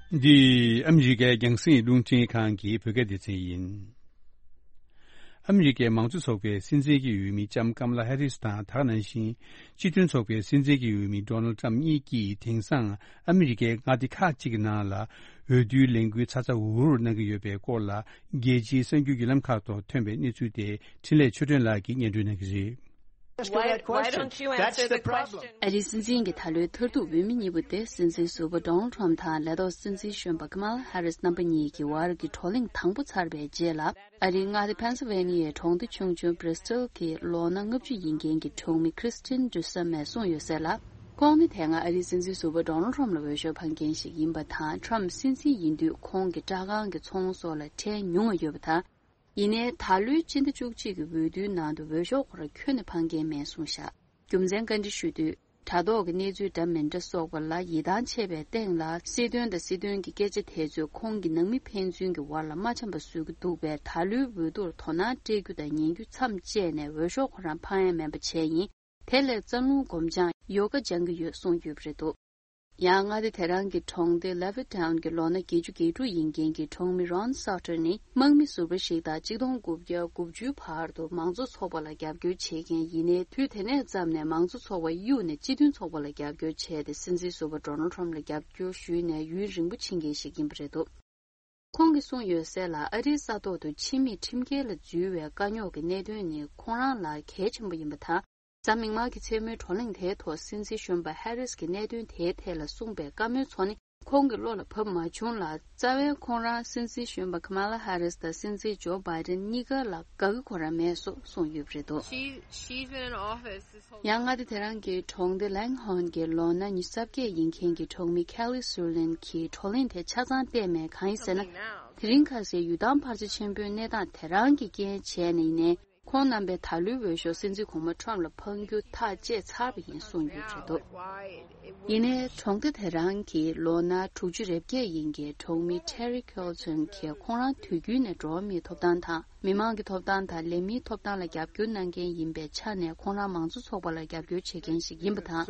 འདི་ཨ་མི་རི་ཀའི་རྒྱང་སྲིང་རླུང་འཕྲིན་ཁང་གི་བོད་སྐད་སྡེ་ཚན་ཡིན། ཨ་མི་རི་ཀའི་མང་གཙོ་ཚོགས་པའི་སྲིད་འཛིན་གྱི་འོས་མི་ལྕམ་ཀམ་ལ་ཧེ་རིས་དང་། དེ་ག་ནང་བཞིན་སྤྱི་མཐུན་ཚོགས་པའི་སྲིད་འཛིན་གྱི་འོས་མི་ཌོ་ནལ་ཊམ་གཉིས་ཀྱིས་དེང་སང་ཨ་མི་རི་ཀའི་མངའ་སྡེ་ཁག་ཅིག་གི་ནང་ལ་འོས་བསྡུའི་ལས་འགུལ་ཚ་ཚ་འུར་འུར་གནང་གི་ཡོད་པའི་སྐོར་ལ། རྒྱལ་སྤྱིའི་གསར་འགྱུར་བརྒྱུད་ལམ་ཁག་ཐོག་ཐོན་པའི་གནས་ཚུལ་དེ་འཕྲིན་ལས་ཆོས་སྒྲོན་ལགས་ཀྱིས་སྙན་སྒྲོན་གནང་གི་རེད། Why, why don't you answer the question? ཨ་རིའི་སྲིད་འཛིན་གྱི་ད་ལོའི་མཐར་ཐུག་འོས་མི་གཉིས་པོ་དེ། སྲིད་འཛིན་ཟུར་པ་ཌོ་ནལ་ཊམ་དང་ལས་ཐོག་སྲིད་འཛིན་གཞོན་པ་ཀ་མ་ལ་ཧེ་རིས་རྣམ་པ་གཉིས་ཀྱི་བར་གྱི་བགྲོ་གླེང་དང་པོ་ཚར་བའི་རྗེས་ལ། ཨ་རིའི་མངའ་སྡེ་ཕེན་སིལ་ཝེ་ནི་ཡའི་གྲོང་སྡེ་ཆུང་ཆུང་བྷི་རི་སི་ཊལ་གྱི་ལོ་ན་ལྔ་བཅུ་ཡིན་མཁན་གྱི་གྲོང་མི་ཁྲིས་ཊིན་ཌུ་སེ་མས་གསུངས་ཡོད་གསལ་ལ། ཁོང་ནི་དེ་སྔ་ཨ་རིའི་སྲིད་འཛིན་ཟུར་པ་ཌོ་ནལ་ཊམ་ལ་འོས་ཤོག་འཕངས་མཁན་ཞིག་ཡིན་པ་དང་། ཊམ་སྲིད་འཛིན་ཡིན་དུས་ཁོང་གི་སྐྲག་སྒང་གི་ཚོང་སོགས་ལ་ཁྲལ་ཉུང་བ་ཡོད་པ་དང་། ཡིན་ནའི་ད་ལོའི་སྤྱི་ཟླ་བཅུ་གཅིག་གི་འོས་བསྡུའི་ནང་དུ་འོས་ཤོག་ཁོ་རང་ཁྱོན་ནས་འཕངས་མཁན་མེད་གསུངས་བཞག་རྒྱུ་མཚན་བཀའ་འདྲི་ཞུས་དུས། དྲ་ཐོག་གི་གནས་ཚུལ་འདྲ་མི་འདྲ་སོགས་པ་ལ་ཡིད་ཐང་ཆད་པའི་སྟེང་ལ། སྲིད་དོན་དང་སྲིད་དོན་གྱི་སྐད་ཆ་དེ་ཚོས་ཁོང་གི་ནང་མི་ཕན་ཚུན་གྱི་བར་ལ་མ་འཆམ་པ་བཟོ་གི་འདུག་པས། ད་ལོའི་འོས་བསྡུར་དོ་སྣང་སྤྲད་རྒྱུ་དང་ཉན་རྒྱུ་མཚམས་བཅད་ནས་འོས་ཤོག་ཁོ་རང་འཕང་ཡ་མིན་པ་བྱས་ཡིན། དེ་ལས་རྩ་རླུང་སྒོམ་སྦྱང་ཡོ་ག་སྦྱང་གི་ཡོད་གསུངས་ཡོད་པ་རེད་འདུག་ཡང་མངའ་སྡེ་དེ་རང་གི་གྲོང་སྡེ་ལེ་ཝི་ཊའུན་གྱི་ལོ་ན་བརྒྱད་ཅུ་གྱ་དྲུག་ཡིན་མཁན་གྱི་གྲོང་མི་རོན་སོ་ཊར་ནི། དམག་མི་ཟུར་པ་ཞིག་དང་གཅིག་སྟོང་དགུ་བརྒྱ་དགུ་བཅུའི་བར་དུ་མང་གཙོ་ཚོགས་པ་ལ་རྒྱབ་སྐྱོར་བྱེད་མཁན་ཡིན་ནའི། དུས་དེ་ནས་བརྩམས་ནས་མང་གཙོ་ཚོགས་པ་གཡུགས་ནས་སྤྱི་མཐུན་ཚོགས་པ་ལ་རྒྱབ་སྐྱོར་བྱས་ཏེ། སྲིད་འཛིན་ཟུར་པ་ཌོ་ནལ་ཊམ་ལ་རྒྱབ་སྐྱོར་ཞུས་ནས་ཡུན་རིང་པོ་ཕྱིན་མཁན་ཞིག་ཡིན་པ་རེད་འདུག་ཁོང་གིས་གསུངས་ཡོད་གསལ་ལ། ཨ་རིའི་ས་ཐོག་ཏུ་ཕྱི་མིས་ཁྲིམས་འགལ་ལ་འཛུལ་བའི་དཀའ་རྙོག་གི་གནད་དོན་ནི་ཁོང་རང་ལ་གལ་ཆེན་པོ་ཡིན་པ་དང་། གཟའ་མིག་དམར་གྱི་མཚན་མོའི་བགྲོ་གླེང་དེའི་ཐོག་སྲིད་འཛིན་གཞོན་པ་ཧེ་རིས་ཀྱིས་གནད་དོན་དེའི་ཐད་ལ་གསུངས་པའི་བཀའ་མོལ་ཚོ་ནི་ཁོང་གི་བློ་ལ་བབས་མ་བྱུང་ལ། རྩ་བའི་ཁོང་རང་སྲིད་འཛིན་གཞོན་པ་ཀ་མ་ལ་ཧེ་རིས་དང་སྲིད་འཛིན་ཇོ་བྷའི་ཌེན་གཉིས་ཀ་ལ་དགའ་གི་ཁོ་རང་མེད་སོགས་གསུངས་ཡོད་པ་རེད་འདུག She, she's been in office this whole ཡང་མངའ་སྡེ་དེ་རང་གི་གྲོང་སྡེ་ལེང་ཧོན་གྱི་ལོ་ན་ཉི་ཤུ་རྩ་བརྒྱད་ཡིན་མཁན་གྱི་གྲོང་མི་ཁེ་ལི་སུར་ལིན་གྱིས་བགྲོ་གླེང་དེ་ཆ་ཚང་བལྟས་མེད། གང་ཡིན་ཟེར་ན། དེ་རིང་ཁ་སང་ཡུལ་ཐང་འཕར་ཆ་ཆེན་པོའི་གནས་སྟངས་དེ་རང་གི་རྐྱེན་བྱས་ནས་ཡིན་ནའི། ཁོང་རྣམ་པས་ད་ལོའི་འོས་ཤོག་སྲིད་འཛིན་གོང་མ་ཁྲོམ་ལ་འཕང་རྒྱུ་ཐག་བཅད་ཚར་བ་ཡིན་གསུངས་ཡོད་འདུག་ཡིན་ནའི་གྲོང་སྡེ་དེ་རང་གི་ལོ་ན་དྲུག་ཅུ་རེ་བརྒྱད་ཡིན་གྱི་གྲོང་མི་Terry Colton གྱིས་ཁོང་རང་དུས་རྒྱུན་ནས་འགྲོ་བ་མིའི་ཐོབ་ཐང་དང་མི་མང་གི་ཐོབ་ཐང་དང་ལས་མིའི་ཐོབ་ཐང་ལ་རྒྱབ་སྐྱོར་གནང་མཁན་ཡིན་པའི་ཆ་ནས་ཁོང་རང་མང་གཙོ་ཚོགས་པ་ལ་རྒྱབ་སྐྱོར་བྱེད་མཁན་ཞིག་ཡིན་པ་དང་།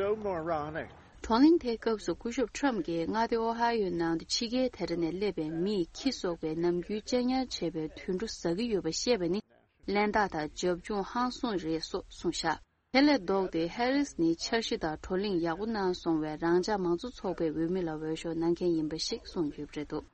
བགྲོ་གླེང་དེའི་སྐབས་སུ་སྐུ་ཞབས་ཁྲོམ་གྱིས་མངའ་སྡེ་ཨོ་ཧའི་ཡོའི་ནང་དུ་ཕྱི་རྒྱལ་དེ་འདྲ་ནས་སླེབས་པའི་མིས་ཁྱི་གསོག་པའི་ནམ་རྒྱུན་གཅེས་ཉར་བྱེད་པའི་དུད་འགྲོ་ཟ་གི་ཡོད་པ་བཤད་པ་ནི་གླེན་རྟགས་དང་རྒྱབ་ལྗོངས་ཧང་སང་རེད་སོགས་གསུངས་བཞག་དེ་ལས་ལྡོག་སྟེ་ཧེ་རིས་ནི་འཆར་གཞི་དང་བགྲོ་གླེང་ཡག་པོ་གནང་སོང་བས་རང་འཇགས་མང་གཙོ་ཚོགས་པའི་འོས་མི་ལ་འོས་ཤོག་གནང་མཁན་ཡིན་པ་ཞིག་གསུངས་ཡོད་པ་རེད་འདུག་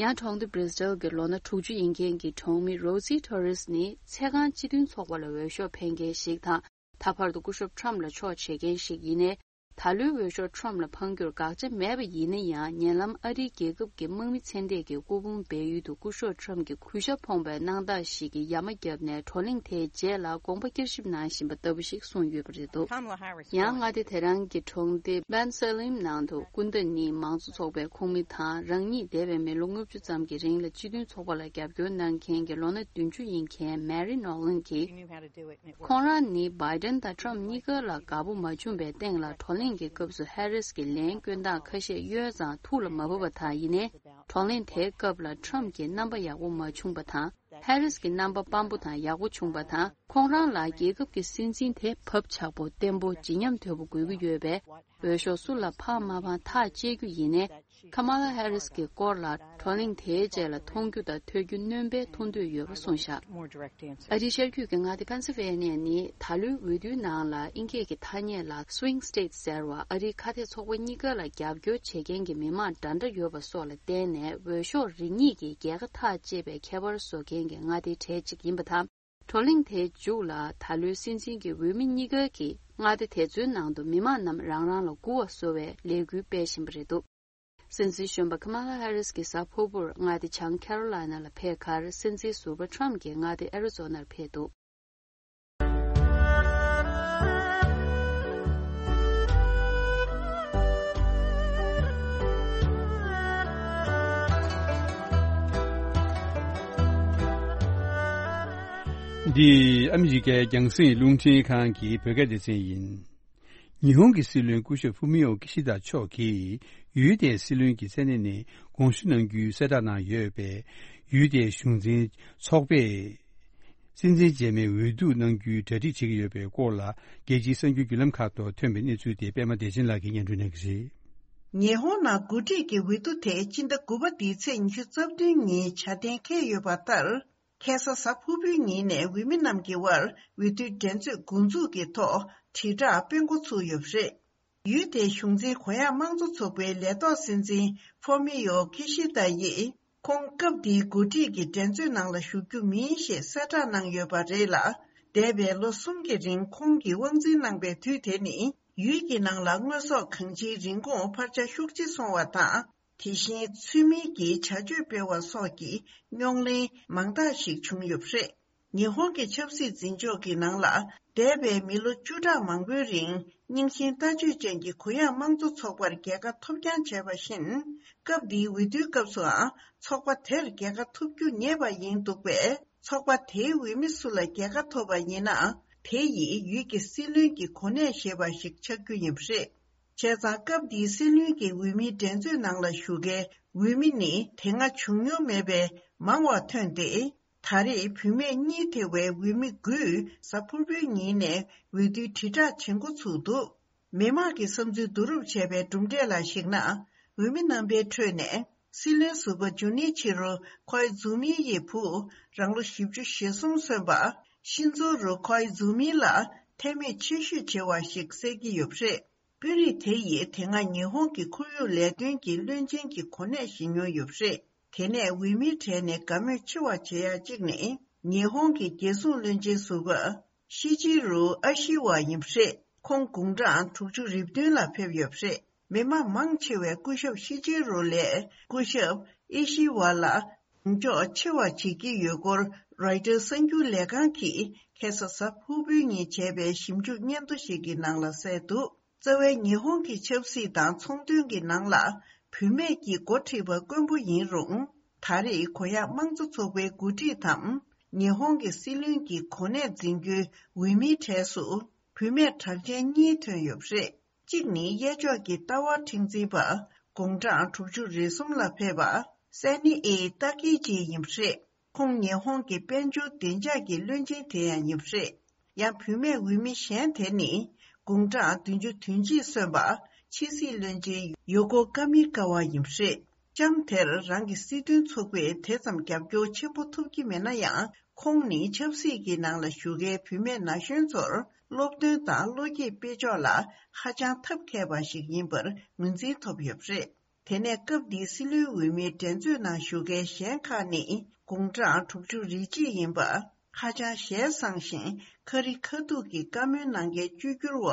ཡང་གྲོང་སྡེ་Bristol གྱི་ལོ་ན་དྲུག་ཅུ་ཡིན་མཁན་གྱི་གྲོང་མི་Rosie Torres ནི་ཚེ་གང་སྤྱི་མཐུན་ཚོགས་པ་ལ་འོས་ཤོག་འཕེན་མཁན་ཞིག་དང་། ད་བར་དུ་སྐུ་ཞབས་ཁྲོམ་ལ་ཕྱོགས་བྱེད་མཁན་ཞིག་ཡིན་ནའི། ད་ལོའི་འོས་ཤོག་ཁྲོམ་ལ་འཕང་རྒྱུར་དགག་བྱ་མེད་པ་ཡིན་ན་ཡང་། ཉེ་ལམ་ཨ་རིའི་རྒྱལ་ཁབ་ཀྱི་དམག་མི་ཚེ་འདས་ཀྱི་སྐུ་ཕུང་སྦས་ཡུལ་དུ་སྐུ་ཞབས་ཁྲོམ་གྱི་གུས་ཞབས་ཕོངས་པའི་གནང་སྟངས་ཤིག་གི་ཡ་མ་བརྒྱབ་ནས་བགྲོ་གླེང་དེའི་རྗེས་ལ་དགོངས་པ་བསྐྱར་ཞིབ་གནང་བཞིན་པ་ལྟ་བུ་ཞིག་གསུངས་ཡོད་པ་རེད་འདུག་ཡང་མངའ་སྡེ་དེ་རང་གི་གྲོང་སྡེ་Ben Salim ནང་དུ་སྐུ་ཟླ་གཉིས་མང་གཙོ་ཚོགས་པའི་ཁོངས་མི་དང་རང་ཉིད་འདས་པའི་མི་ལོ་ལྔ་བཅུ་ཙམ་གྱི་རིང་ལ་སྤྱི་མཐུན་ཚོགས་པ་ལ་རྒྱབ་སྐྱོར་གནང་མཁན་གྱི་ལོ་ན་བདུན་ཅུ་ཡིན་མཁན་Mary Nolan གྱིས། ཁོང་རང་ནི་Biden དང་Trump གཉིས་ཀ་ལ་དགའ་པོ་མ་བྱུང་བའི་སྟེང་ལ་བགྲོ་གླེང་གི་སྐབས་སུ་Harris གྱི་ལན་སྐྱོན་སྟངས་ཁ་ཤས་གཡོལ་ཙང་ཐུགས་ལ་མ་བབས་པ་དང་། ཡིན་ནའི་བགྲོ་གླེང་དེའི་སྐབས་ལ་Trump གྱི་རྣམ་པ་ཡག་པོ་མ་བྱུང་བ་དང་། Harris གྱི་རྣམ་པ་སྤམ་པོ་དང་ཡག་པོ་བྱུང་བ་དང་། ཁོང་རང་ལ་རྒྱལ་ཁབ་ཀྱི་སྲིད་འཛིན་དེ་བབ་ཆགས་པོ་བརྟན་པོ་བརྗིད་ཉམས་དོད་པོ་དགོས་ཀྱི་ཡོད་པས། འོས་ཤོག་སུ་ལ་ཕངས་མ་ཕངས་ཐག་བཅད་རྒྱུ་ཡིན་ནའི། Kamala Harris གྱི་སྐོར་ལ་བགྲོ་གླེང་དེའི་རྗེས་ལ་མཐོང་རྒྱུ་དང་ཐོས་རྒྱུ་སྣོན་པའི་མཐོང་འདོད་ཡོད་པ་གསུངས་བཞག་ཨ་རིའི་ཤར་རྒྱུད་ཀྱི་མངའ་སྡེ་Pennsylvania ནི་ད་ལོའི་འོས་བསྡུའི་ནང་ལ་ཨིན་སྐད་ཀྱི་ཐ་སྙད་ལ་Swing State ཟེར་བ། ཨ་རིའི་ཁ་གཏད་ཚོགས་པ་གཉིས་ཀ་ལ་རྒྱབ་སྐྱོར་བྱེད་མཁན་གྱི་མི་མང་འདྲ་འདྲ་ཡོད་པ་སོགས་ལ་བརྟེན་ནས་འོས་ཤོག་རེ་གཉིས་ཀྱི་རྒྱལ་ཁ་ཐག་བཅད་པའི་ཁྱད་པར་བཟོ་མཁན་གྱི་མངའ་སྡེའི་གྲས་གཅིག་ཡིན་པ་དང་། བགྲོ་གླེང་དེའི་མཇུག་ལ་ད་ལོའི་སྲིད་འཛིན་གྱི་འོས་མི་གཉིས་ཀ་གིས་མངའ་སྡེ་དེ་ཚོའི་ནང་དུ་མི་མང་རྣམས་རང་རང་ལ་མགུ་བ་གསོ་བའི་ལས་འགུལ་སྤེལ་བཞིན་པ་རེད་འདུག་སྲིད་འཛིན་གཞོན་པ་Kamala Harris གྱི་གཟའ་ཕུར་བུར་མངའ་སྡེ་བྱང་Carolina ལ་ཕེབས་ཁར། སྲིད་འཛིན་ཟུར་པ་Trump གྱིས་མངའ་སྡེ་Arizona ལ་ཕེབས་འདུག་འདི་ཨ་མི་རི་ཀའི་རྒྱང་སྲིང་རླུང་འཕྲིན་ཁང་གི་བོད་སྐད་སྡེ་ཚན་ཡིན། ཉི་ཧོང་གི་སྲིད་བློན་སྐུ་ཞབས་ཧྥུ་མི་ཨོ་ཀི་ཤི་ད་མཆོག་གིས་ཡུལ་དེའི་སྲིད་བློན་གྱི་མཚན་གནས་ནས་དགོངས་ཞུ་གནང་རྒྱུའི་གསལ་བསྒྲགས་གནང་ཡོད་པས། ཡུལ་དེའི་གཞུང་འཛིན་ཚོགས་པས་སྲིད་འཛིན་རྗེས་མའི་འོས་བསྡུ་གནང་རྒྱུའི་གྲ་སྒྲིག་བྱེད་ཀྱི་ཡོད་པའི་སྐོར་ལ། རྒྱལ་སྤྱིའི་གསར་འགྱུར་བརྒྱུད་ལམ་ཁག་ཐོག་ཐོན་པའི་གནས་ཚུལ་དེ་པད་མ་བདེ་ཆེན་ལགས་ཀྱིས་སྙན་སྒྲོན་གནང་གི་རེད། ཉི་ཧོང་ནང་འགོ་ཁྲིད་ཀྱི་འོས་བསྡུ་དེ་སྤྱི་ཟླ་དགུ་པ་འདིའི་ཚེས་ཉི་ཤུ་རྩ་བདུན་ཉིན་བྱ་གཏན་འཁེལ་ཡོད་པ་ལྟར། ཁ་སང་གཟའ་ཕུར་བུའི་ཉིན་ནས་འོས་མི་རྣམས་ཀྱི་དབར་འོས་བསྡུའི་འགྲན་རྩོད་འགོ་འཛུགས་ཀྱི་ཐོག་དྲིལ་བསྒྲགས་སྤེལ་འགོ་ཚུགས་ཡོད་པ་རེད། ཡུལ་དེའི་གཞུང་འཛིན་གུ་ཡངས་དམངས་གཙོ་ཚོགས་པའི་ལས་ཐོག་སྲིད་འཛིན་ཧྥོ་མི་ཡོ་ཁི་ཤི་ད་ཡིས་ཁོང་སྐབས་འདིའི་འགོ་ཁྲིད་ཀྱི་འགྲན་རྩོད་ནང་ལ་ཞུགས་རྒྱུ་མིན་ཞེས་གསལ་བསྒྲགས་གནང་ཡོད་པ་རེད་ལ། འདས་པའི་ལོ་གསུམ་གྱི་རིང་ཁོང་གིས་དབང་འཛིན་གནང་པའི་དུས་དེ་ནི་ཡུལ་གྱི་ནང་ལ་དངོས་ཟོག་གང་ཅིའི་རིན་གོང་འཕར་ཆ་ཤུགས་ཆེ་སོང་བ་དང་། དེ་བཞིན་ཚུལ་མིན་གྱི་བྱ་སྤྱོད་སྤེལ་བ་སོགས་ཀྱི་རྙོག་གླེང་མང་དག་ཞིག་བྱུང་ཡོད་པ་རེད། ཉི་ཧོང་གི་ཆབ་སྲིད་འཛིན་ཕྱོགས་ཀྱི་ནང་ལ་འདས་པའི་མི་ལོ་བཅུ་ཕྲག་མང་པོའི་རིང་རྙིང་ཞེན་ལྟ་སྤྱོད་ཅན་གྱི་གུ་ཡངས་དམངས་གཙོ་ཚོགས་པར་རྒྱལ་ཁ་ཐོབ་རྐྱང་བྱས་པ་བཞིན། སྐབས་འདིའི་འོས་བསྡུའི་སྐབས་སུའང་ཚོགས་པ་དེར་རྒྱལ་ཁ་ཐོབ་རྒྱུ་ངེས་པ་ཡིན་འདུག་པས། ཚོགས་པ་དེའི་འོས་མི་སུ་ལ་རྒྱལ་ཁ་ཐོབ་པ་ཡིན་ན། དེ་ཡིས་ཡུལ་གྱི་སྲིད་བློན་གྱི་གོ་གནས་བཞེས་པ་ཞིག་ཆགས་རྒྱུ་ཡིན་པ་རེད། བྱས་ཙང་སྐབས་འདིའི་སྲིད་བློན་གྱི་འོས་མིའི་འགྲན་རྩོད་ནང་ལ་ཞུགས་མཁན་འོས་མི་ནི་དེ་སྔ་བྱུང་མྱོང་མེད་པའི་མང་བ་ཐོན་ཏེ། ད་རེས་བུད་མེད་གཉིས་ཐེ་བའི་འོས་མི་དགུས་གཟའ་ཕུར་བུའི་ཉིན་ནས་འོས་བསྡུའི་དྲིལ་བསྒྲགས་བྱེད་འགོ་ཚུགས་འདུག་མི་མང་གི་བསམ་ཚུལ་བསྡུ་རུབ་བྱས་པའི་གྲུབ་འབྲས་ལ་གཞིགས་ན། འོས་མི་རྣམ་པའི་ཁྲོད་ནས་སྲིད་བློན་ཟུར་པ་ཇུ་ནི་ཆི་རོ་ཁོའི་ཛུ་མི་ཡི་བུ་རང་ལོ་བཞི་བཅུ་ཞེ་གསུམ་སོན་པ་ཤིན་ཛོ་རུ་ཁོའི་ཛུ་མི་ལ་ཐད་མོས་ཆེ་ཤོས་བྱེད་པ་ཞིག་གསལ་གྱི་ཡོད་པ་རེད། དཔོན་རིགས་དེ་ཡིས་དེ་སྔ་ཉི་ཧོང་གི་ཁོར་ཡུག་ལས་དོན་གྱི་བློན་ཆེན་གྱི་གོ་གནས་བཞེས་མྱོང་ཡོད་པ་རེད། དེ་ནས་འོས་མིའི་གྲས་ནས་དགའ་མོས་ཆེ་བ་བྱེད་ཡ་གཅིག་ནི་ཉི་ཧོང་གི་རྒྱལ་སྲུང་བློན་ཆེན་ཟུར་པ་ཤི་ཅི་རུ་ཨ་ཤི་ཝ་ཡིན་པ་རེད། ཁོང་དགུང་གྲངས་དྲུག་ཅུ་རེ་བདུན་ལ་ཕེབས་ཡོད་པ་རེད། མི་མང་མང་ཆེ་བས་སྐུ་ཞབས་ཤི་ཅི་རུ་ལས་སྐུ་ཞབས་ཨི་ཤི་ཝ་ལ་གདེང་འཇོག་ཆེ་བ་བྱེད་ཀྱི་ཡོད་སྐོར་རོའི་ཊར་གསར་འགྱུར་ལས་ཁང་གིས་ཁ་སང་གཟའ་ཕུར་བུའི་ཉིན་བྱས་པའི་ཞིབ་འཇུག་སྙན་ཐོ་ཞིག་གི་ནང་ལ་གསལ་འདུག་རྩ་བའི་ཉི་ཧོང་གི་ཆབ་སྲིད་དང་ཚོང་དོན་གྱི་ནང་ལ་བུད་མེད་ཀྱི་འགོ་ཁྲིད་པ་དཀོན་པོ་ཡིན་རུང་། ད་རེས་གུ་ཡངས་དམངས་གཙོ་ཚོགས་པའི་འགོ་ཁྲིད་དམ་ ཉི་ཧོང་གི་སྲིད་བློན་གྱི་གོ་གནས་འཛིན་རྒྱུའི་འོས་མིའི་གྲས་སུ་བུད་མེད་གྲགས་ཅན་གཉིས་ཐོན་ཡོད་པ་རེད། གཅིག་ནི་གཡས་ཕྱོགས་ཀྱི་ལྟ་བ་མཁྲེགས་འཛིན་པ་དགུང་གྲངས་དྲུག་ཅུ་རེ་གསུམ་ལ་ཕེབས་པ་སེ་ནི་ཨེ་ཏཱ་ཀི་ཅི་ཡིན་པ་རེད། ཁོང་ཉི་ཧོང་གི་དཔལ་འབྱོར་བདེ་འཇགས་ཀྱི་བློན་ཆེན་དེ་ཡང་ཡིན་པ་རེད། ཡང་བུད་མེད་འོས་མི་གཞན་དེ་ནི་དགུང་གྲངས་བདུན་ཅུ་དོན་གཅིག་སོན་པ་ཕྱི་སྲིད་བློན་ཆེན་ཡོ་ཀོ་ཀ་མི་ཀ་ཝ་ཡིན་པ་རེད། ལྕམ་དེར་རང་གི་སྲིད་དོན་ཚོགས་པས་དེ་ཙམ་རྒྱབ་སྐྱོར་ཆེན་པོ་ཐོབ་ཀྱི་མེད་ན་ཡང་། ཁོང་ནི་ཆབ་སྲིད་ཀྱི་ནང་ལ་ཞུགས་མཁན་བུད་མེད་ན་གཞོན་ཚོར་སློབ་སྟོན་དང་བློ་སྐྱེད་སྤེལ་ཕྱོགས་ལ་ཧ་ཅང་ཐབས་མཁས་པ་ཞིག་ཡིན་པར་ངོས་འཛིན་ཐོབ་ཡོད་པ་རེད། དེ་ནས་སྐབས་འདིའི་སྲིད་བློན་འོས་མིའི་འགྲན་རྩོད་ནང་ཞུགས་མཁན་གཞན་ཁག་ནི་དགུང་གྲངས་དྲུག་ཅུ་རེ་གཅིག་ཡིན་པ། ཧ་ཅང་ཞལ་བཟང་ཞིང་ཁ་རི་ཁ་ཐུག་གི་བཀའ་མོལ་གནང་མཁན་བཅོས་བསྒྱུར་བ་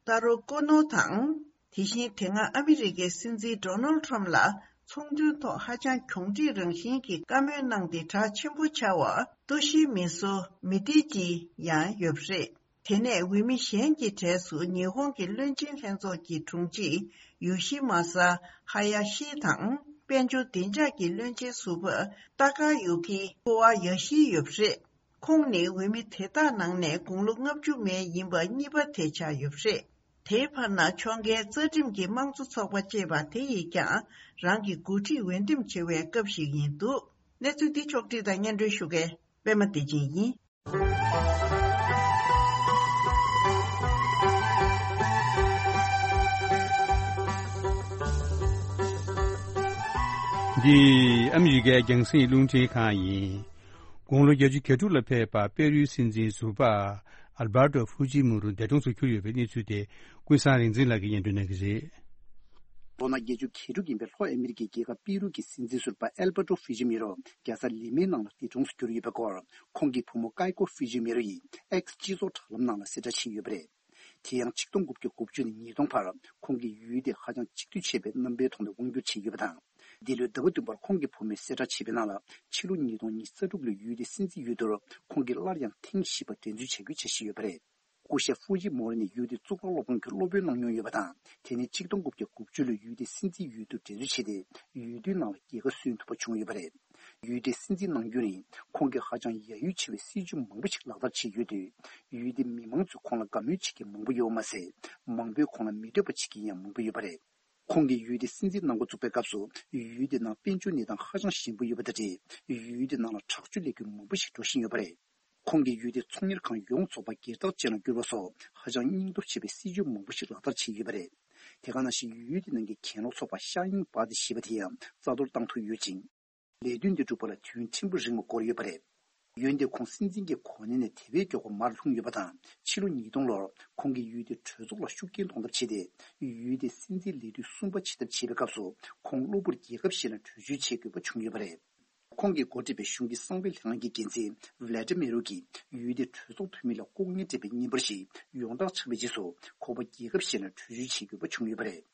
ཏཱ་རོ་ཀོ་ནོ་དང་། དེ་བཞིན་དེ་སྔ་ཨ་མི་རི་ཀའི་སྲིད་འཛིན་ཌོ་ནལ་ཁྲམ་ལ་ཚོང་དོན་ཐོག་ཧ་ཅང་གྱོང་འདྲིས་རང་བཞིན་གྱི་བཀའ་མོལ་གནང་སྟེ་གྲགས་ཆེན་པོ་ཆགས་པ་ཏོ་ཤི་མི་སོ་མི་ཏི་ཅི་ཡང་ཡོད་པ་རེད། དེ་ནས་འོས་མི་གཞན་གྱི་གྲས་སུ་ཉི་ཧོང་གི་བློན་ཆེན་ལྷན་ཚོགས་ཀྱི་དྲུང་ཆེ་ཡོ་ཤི་མ་ས་ཧ་ཡ་ཤི་དང་དཔལ་འབྱོར་བདེ་འཇགས་ཀྱི་བློན་ཆེན་ཟུར་པ་ཏཱ་ཀ་ཡུ་ཀི་ཀོ་ཝ་ཡ་ཤི་ཡོད་པ་རེད། ཁོང་ནི་འོས་མི་དེ་དག་ནང་ནས་དགུང་ལོ་ལྔ་བཅུ་མན་ཡིན་པ་གཉིས་པ་དེ་ཆགས་ཡོད་པ་རེད། དེའི་བར་ན་ཕྱོགས་འགལ་རྩ་ཁྲིམས་ཀྱི་དམངས་གཙོ་ཚོགས་པ་ཅེས་པ་དེ་ཡིས་ཀྱང་རང་གི་འགོ་ཁྲིད་འོས་འདེམས་བྱེད་པའི་སྐབས་ཤིག་ཡིན་འདུག་གནས་ཚུལ་འདི་ཕྱོགས་བསྒྲིགས་དང་སྙན་སྒྲོན་ཞུ་མཁན་པད་མ་བདེ་ཆེན་ཡིན། འདི་ཨ་མི་རི་ཀའི་རྒྱང་སྲིང་རླུང་འཕྲིན་ཁང་ཡིན། དགུང་ལོ་བརྒྱད་ཅུ་གྱ་དྲུག་ལ་ཕེབས་པ་པེ་རུའི་སྲིད་འཛིན་ཟུར་པ་ཨལ་བར་ཏོ་ཧྥུ་ཇི་མུ་རུ་འདས་གྲོངས་སུ་གྱུར་ཡོད་པའི་གནས་ཚུལ་དེ་ཀུན་བཟང་རིག་འཛིན་ལགས་ཀྱིས་སྙན་སྒྲོན་གནང་གི་རེད། ལོ་ན་བརྒྱད་ཅུ་གྱ་དྲུག་ཡིན་པའི་ལྷོ་ཨ་མི་རི་ཀའི་རྒྱལ་ཁབ་པེ་རུ་གྱི་སྲིད་འཛིན་ཟུར་པ་ཨལ་བར་ཏོ་ཧྥུ་ཇི་མུ་རུ་རྒྱལ་ས་ལི་མའི་ནང་ལ་འདས་གྲོངས་སུ་གྱུར་ཡོད་པའི་སྐོར། ཁོང་གི་བུ་མོ་ཀའི་ཀོ་ཧྥུ་ཇི་མུ་རུ་ཡིས་ཨེགས་སྤྱི་ཚོགས་དྲ་ལམ་ནང་ལ་གསལ་བསྒྲགས་བྱས་ཡོད་པ་རེད། དེ་ཡང་ཆིག་སྟོང་དགུ་བརྒྱ་དགུ་བཅུ་ནས་ཉིས་སྟོང་བར་ཁོང་གིས་ཡུལ་དེ་ཧ་ཅང་གཅིག་སྡུད་བྱས་པའི་རྣམ་པའི་ཐོག་ནས་དབང་སྒྱུར་བྱས་ཡོད་པ་དང་། འདི་ལོའི་ཟླ་བ་བདུན་པར་ཁོང་གི་བུ་མོས་གསལ་བསྒྲགས་བྱས་པའི་ནང་ལ་ཕྱི་ལོ་ཉིས་སྟོང་ཉི་ཤུ་རྩ་དྲུག་ལོའི་ཡུལ་དེའི་སྲིད་འཛིན་འོས་བསྡུར་ཁོང་གིས་སླར་ཡང་ཐེངས་བཞི་པ་འགྲན་རྩོད་བྱ་རྒྱུའི་འཆར་གཞི་ཡོད་པ་རེད། སྐུ་ཞབས་ཧྥུ་ཇི་མོ་རི་ནི་ཡུལ་དེའི་གཙུག་ལག་སློབ་ཁང་གི་སློབ་དཔོན་གནང་མྱོང་ཡོད་པ་དང་། དེ་ནས་ཆིག་སྟོང་དགུ་བརྒྱ་དགུ་བཅུ་ལོའི་ཡུལ་དེའི་སྲིད་འཛིན་འོས་བསྡུར་འགྲན་རྩོད་བྱས་ཏེ་འོས་བསྡུའི་ནང་ལ་རྒྱལ་ཁ་སོན་ཐུབ་པ་བྱུང་ཡོད་པ་རེད། ཡུལ་དེའི་སྲིད་འཛིན་གནང་རྒྱུན་རིང་ཁོང་གིས་ཧ་ཅང་ཡ་ཡུལ་ཆེ་བའི་སྲིད་ཇུས་མང་པོ་ཞིག་ལག་བསྟར་བྱས་ཡོད་དུས། ཡུལ་དེའི་མི་མང་ཚོས་ཁོང་ལ་དགའ་མོས་བྱེད་མཁན་མང་པོ་ཡོད་པ་མ་ཟད། མང་པོས་ཁོང་ལ་མི་འདོད་པ་བྱེད་མཁན་ཡང་མང་པོ་ཡོད་པ་རེད། ཁོང་གིས་ཡུལ་དེའི་སྲིད་འཛིན་གནང་འགོ་བཙུགས་པའི་སྐབས་སུ་ཡུལ་དེ་ནང་དཔལ་འབྱོར་གནས་སྟངས་ཧ་ཅང་ཞན་པོ་ཡོད་པ་དང་འབྲེལ། ཡུལ་དེ་ནང་ལ་དྲག་སྤྱོད་ལས་འགུལ་མང་པོ་ཞིག་འགྲོ་བཞིན་ཡོད་པ་རེད། ཁོང་གིས་ཡུལ་དེའི་ཚོང་གཉེར་ཁང་ཡོངས་རྫོགས་པ་སྒེར་བདག་ཅན་ལ་བསྒྱུར་བ་སོགས་ཧ་ཅང་སྙིང་སྟོབས་ཆེ་བའི་སྲིད་ཇུས་མང་པོ་ཞིག་ལག་བསྟར་བྱས་ཡོད་པ་རེད། དེ་ག་ནང་བཞིན་ཡུལ་དེ་ནང་གི་གྱེན་ལོག་ཚོགས་པ་ཤ་ཡིན་པ་དེ་ཞེས་པ་དེ་ཡང་རྩ་གཏོར་བཏང་ཐུབ་ཡོད་ཅིང་། ལས་དོན་དེ་སྒྲུབ་པ་ལ་དུས་ཡུན་ཕྲན་བུ་རིང་བ་འགོར་ཡོད་པ་རེད། འོན་ཏེ་ཁོང་སྲིད་འཛིན་གྱི་གོ་གནས་ནས་དེ་བས་མགྱོགས་པ་མར་ལྷུང་ཡོད་པ་དང་། ཕྱི་ལོ་ཉིས་སྟོང་ལོར་ཁོང་གིས་ཡུལ་དེའི་གྲོས་ཚོགས་ལ་ཤུགས་རྐྱེན་གཏོང་ཐབས་བྱས་ཏེ། ཡུལ་དེའི་སྲིད་འཛིན་ལས་དུས་གསུམ་པ་བྱེད་ཐབས་བྱས་པའི་སྐབས་སུ་ཁོང་གློ་བུར་རྒྱལ་ཁབ་གཞན་ལ་བྲོས་བྱོལ་བྱེད་དགོས་པ་བྱུང་ཡོད་པ་རེད། ཁོང་གིས་འགོ་ཁྲིད་པའི་གཞུང་གི་གསང་བའི་ལྷན་ཁང་གི་འགན་འཛིན་ཝི་ལ་ཏི་མི་རུ་གིས་ཡུལ་དེའི་གྲོས་ཚོགས་འཐུས་མི་ལ་ལྐོག་རྔན་སྤྲད་པའི་བརྙན་པར་ཞིག་ཡོངས་བསྒྲགས་ཆགས་པའི་རྗེས་སུ་ཁོ་པ་རྒྱལ་ཁབ་གཞན་ལ་བྲོས་བྱོལ་བྱེད་དགོས་པ་བྱུང་ཡོད་པ་རེད།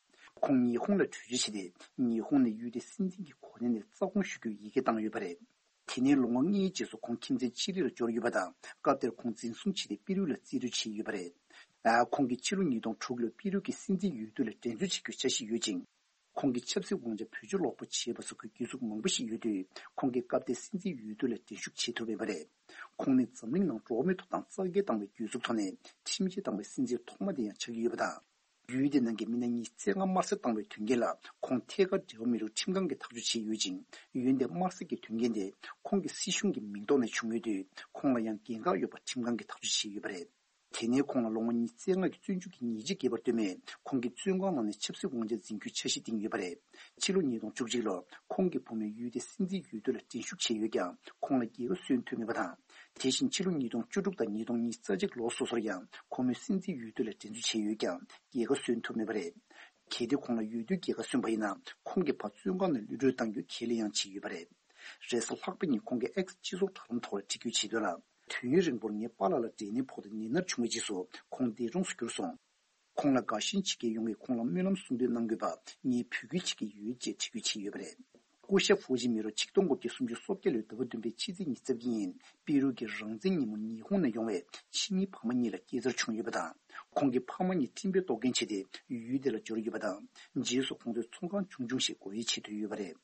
ཁོང་ཉི་ཧོང་ལ་བྲོས་བྱོལ་བྱས་ཏེ། ཉི་ཧོང་ནས་ཡུལ་དེའི་སྲིད་འཛིན་གྱི་གོ་གནས་ནས་རྩ་དགོངས་ཞུ་རྒྱུའི་ཡི་གེ་བཏང་ཡོད་པ་རེད། དེ་ནས་ལོ་ངོ་ལྔའི་རྗེས་སུ་ཁོང་ཁྱིམ་མཚེས་ཅི་ལི་ལ་འབྱོར་ཡོད་པ་དང་། སྐབས་དེར་ཁོང་འཛིན་བཟུང་བྱས་ཏེ་པི་རུ་ལ་རྩིས་སྤྲོད་བྱས་ཡོད་པ་རེད། ཨ། ཁོང་གིས་ཕྱི་ལོ་ཉིས་སྟོང་དྲུག་ལོའི་པི་རུ་གི་སྲིད་འཛིན་འོས་བསྡུ་ལ་འགྲན་རྩོད་བྱེད་རྒྱུའི་འཆར་གཞི་ཡོད་ཅིང་། ཁོང་གི་ཆབ་སྲིད་དབང་ཆ་བེད་སྤྱོད་ལོག་པ་བྱས་པ་སོགས་ཀྱི་གྱོད་འཛུགས་མང་པོ་ཞིག་ཡོད་དུས། ཁོང་གིས་སྐབས་དེའི་སྲིད་འཛིན་འོས་བསྡུ་ལ་འགྲན་ཞུགས་བྱེད་ཐུབ་མེད་པ་རེད། ཁོང་ནི་འཛམ་གླིང་ནང་འགྲོ་བ་མིའི་ཐོབ་ཐང་རྩ་འགལ་བཏང་བའི་གྱོད་འཛུགས་ཐོག་ནས་ཁྲིམས་ཆད་བཏང་བའི་སྲིད་འཛིན་ཐོག་མ་དེ་ཡང་ཆགས་ཀྱི་ཡོད་པ་དང་། ཡུལ་དེ་ནང་གི་མི་སྣ་ཉི་ཤུ་རྩ་ལྔ་དམར་གསོད་བཏང་བའི་དོན་རྐྱེན་ལ་ཁོང་ཐད་ཀར་འབྲེལ་བ་མེད་ལུགས་ཁྲིམས་ཁང་གིས་ཐག་གཅོད་བྱས་ཡོད་ཅིང་། འོན་ཏེ་དམར་གསོད་ཀྱི་དོན་རྐྱེན་དེ་ཁོང་གི་སྲིད་གཞུང་གི་མིང་ཐོག་ནས་བྱུང་ཡོད་དུས། ཁོང་ལ་ཡང་འགན་ཁག་ཡོད་པ་ཁྲིམས་ཁང་གིས་ཐག་གཅོད་བྱས་ཡོད་པ་རེད། དེ་ནས་ཁོང་ལ་ལོ་ངོ་ཉི་ཤུ་རྩ་ལྔ་གི་བཙོན་འཇུག་གི་ཉེས་ཆད་བཀལ་བར་ལྟོས་མེད། ཁོང་གིས་བཙོན་ཁང་ནང་ནས་ཆབ་སྲིད་དབང་ཆ་འཛིན་རྒྱུའི་འཆར་གཞི་བཏིང་ཡོད་པ་རེད། ཕྱི་ལོ་ཉིས་སྟོང་བཅུ་གཅིག་ལོར་ཁོང་གི་བུ་མོས་ཡུལ་དེའི་སྲིད་འཛིན་འོས་བསྡུ་ལ་འགྲན་ཞུགས་བྱས་ཡོད་ཀྱང་། ཁོང་ལ་རྒྱལ་ཁ་སོན་ཐུབ་མེད་པ་དང་། དེ་བཞིན་ཕྱི་ལོ་ཉིས་སྟོང་བཅུ་དྲུག་དང་ཉིས་སྟོང་ཉི་ཤུ་རྩ་གཅིག་ལོ་སོ་སོར་ཡང་ཁོ་མོས་སྲིད་འཛིན་འོས་བསྡུ་ལ་འགྲན་རྩོད་བྱས་ཡོད་ཀྱང་རྒྱལ་ཁ་སོན་ཐུབ་མེད་པ་རེད། གལ་ཏེ་ཁོང་ལ་འོས་བསྡུའི་རྒྱལ་ཁ་སོན་པ་ཡིན་ན། ཁོང་གི་ཕ་བཙོན་ཁང་ནས་གློད་གྲོལ་གཏང་རྒྱུའི་ཁས་ལེན་ཡང་བྱས་ཡོད་པ་རེད། རེས་གཟའ་ལྷག་པ་ཉིན་ཁོང་གིས་ཨེགས་སྤྱི་ཚོགས་དྲ་ལམ་ཐོག་ལ་བྲིས་བཀོད་བྱས་དོན་ལ། དུས་ཡུན་རིང་པོར་ངའི་པཱ་ལགས་ལ་འབྲས་ནད་ཕོག་སྟེ་ནད་མནར་བྱུང་བའི་རྗེས་སུ་ཁོང་འདས་གྲོངས་སུ་གྱུར་སོང་། ཁོང་ལ་དགའ་ཞེན་བྱེད་མཁན་ཡོངས་ཀྱིས་ཁོང་ལ་སྨོན་ལམ་གསུང་འདོན་གནང་དགོས་པ་ངས་འབོད་སྐུལ་བྱེད་ཀྱི་ཡོད་ཅེས་འབྲི་འགོད་བྱས་ཡོད་པ་རེད། སྐུ་ཞབས་ཧྥུ་ཇི་མི་རོ་ཆིག་སྟོང་དགུ་བརྒྱ་སུམ་ཅུ་སོ་བརྒྱད་ལོའི་ཟླ་བ་བདུན་པའི་ཕྱི་ཚེས་ཉི་ཤུ་རྩ་བརྒྱད་ཉིན་པི་རུ་གྱི་རང་བཙན་ཉིན་མོར་ཉི་ཧོང་ནས་ཡོང་བའི་ཕྱི་ཉིན་ཕ་མ་གཉིས་ལ་སྐྱེས་འཚར་བྱུང་ཡོད་པ་དང་། ཁོང་གི་ཕ་མ་གཉིས་སྤྲིན་པའི་གཏོར་སྐྱོན་བྱས་ཏེ་ཡུལ་དེ་ལ་འབྱོར་ཡོད་པ་དང་། རྗེས་སུ་ཁོང་ཚོས་ཚོང་ཁང་ཆུང་ཆུང་ཞིག་སྒོ་དབྱེ་བྱེད་འདོད་ཡོད་པ་རེད།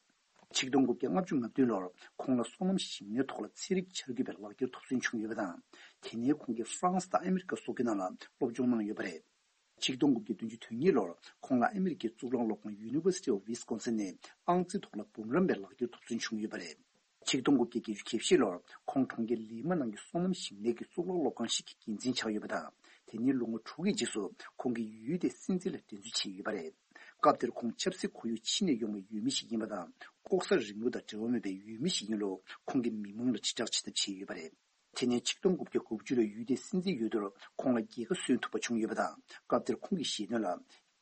ཆིག་སྟོང་དགུ་བརྒྱ་ལྔ་བཅུ་ང་བདུན་ལོར་ཁོང་ལ་སོ་ནམ་ཞིང་ལས་ཐོག་ལ་ཚན་རིག་འཆར་འགོད་པའི་ལག་འཁྱེར་ཐོབ་སོན་བྱུང་ཡོད་པ་དང་། དེ་ནས་ཁོང་གིས་ཧྥ་རན་སི་དང་ཨ་མི་རི་ཀ་སོགས་ཀྱི་ནང་ལ་སློབ་སྦྱོང་གནང་ཡོད་པ་རེད། ཆིག་སྟོང་དགུ་བརྒྱ་བདུན་ཅུ་དོན་གཉིས་ལོར་ཁོང་ལ་ཨ་མི་རི་ཀའི་གཙུག་ལག་སློབ་ཁང་University of Wisconsin ནས་ཨང་རྩིས་ཐོག་ལ་འབུམ་རམས་པའི་ལག་འཁྱེར་ཐོབ་སོན་བྱུང་ཡོད་པ་རེད། ཆིག་སྟོང་དགུ་བརྒྱ་བརྒྱད་ཅུ་གྱ་བཞི་ལོར་ཁོང་གྲོང་ཁྱེར་ལི་མ་ནང་གི་སོ་ནམ་ཞིང་ལས་ཀྱི་གཙུག་ལག་སློབ་ཁང་ཞིག་གི་འགན་འཛིན་ཆགས་ཡོད་པ་དང་། དེ་ནས་ལོ་ངོ་དྲུག་གི་རྗེས་སུ་ཁོང་གིས་ཡུལ་དེའི་སྲིད་འཛིན་ལ་འགྲན་རྩོད་བྱས་ཡོད་པ་རེད། སྐབས་དེར་ཁོང་ཆབ་སྲིད་ཁོར་ཡུག་ཕྱི་ནས་ཡོང་བའི་འོས་མི་ཞིག་ཡིན་པ་དང་། ལྐོག་ཟ་རིང་ལུགས་དང་འབྲེལ་བ་མེད་པའི་འོས་མི་ཞིག་ཡིན་ལུགས་ཁོང་གིས་མི་མང་ལ་དྲིལ་བསྒྲགས་བྱེད་ཐབས་བྱས་ཡོད་པ་རེད། དེ་ནས་ཆིག་སྟོང་དགུ་བརྒྱ་དགུ་བཅུ་ལོའི་ཡུལ་དེའི་སྲིད་འཛིན་འོས་བསྡུར་ཁོང་ལ་རྒྱལ་ཁ་སོན་ཐུབ་པ་བྱུང་ཡོད་པ་དང་། སྐབས་དེར་ཁོང་གིས་བཤད་དོན་ལ།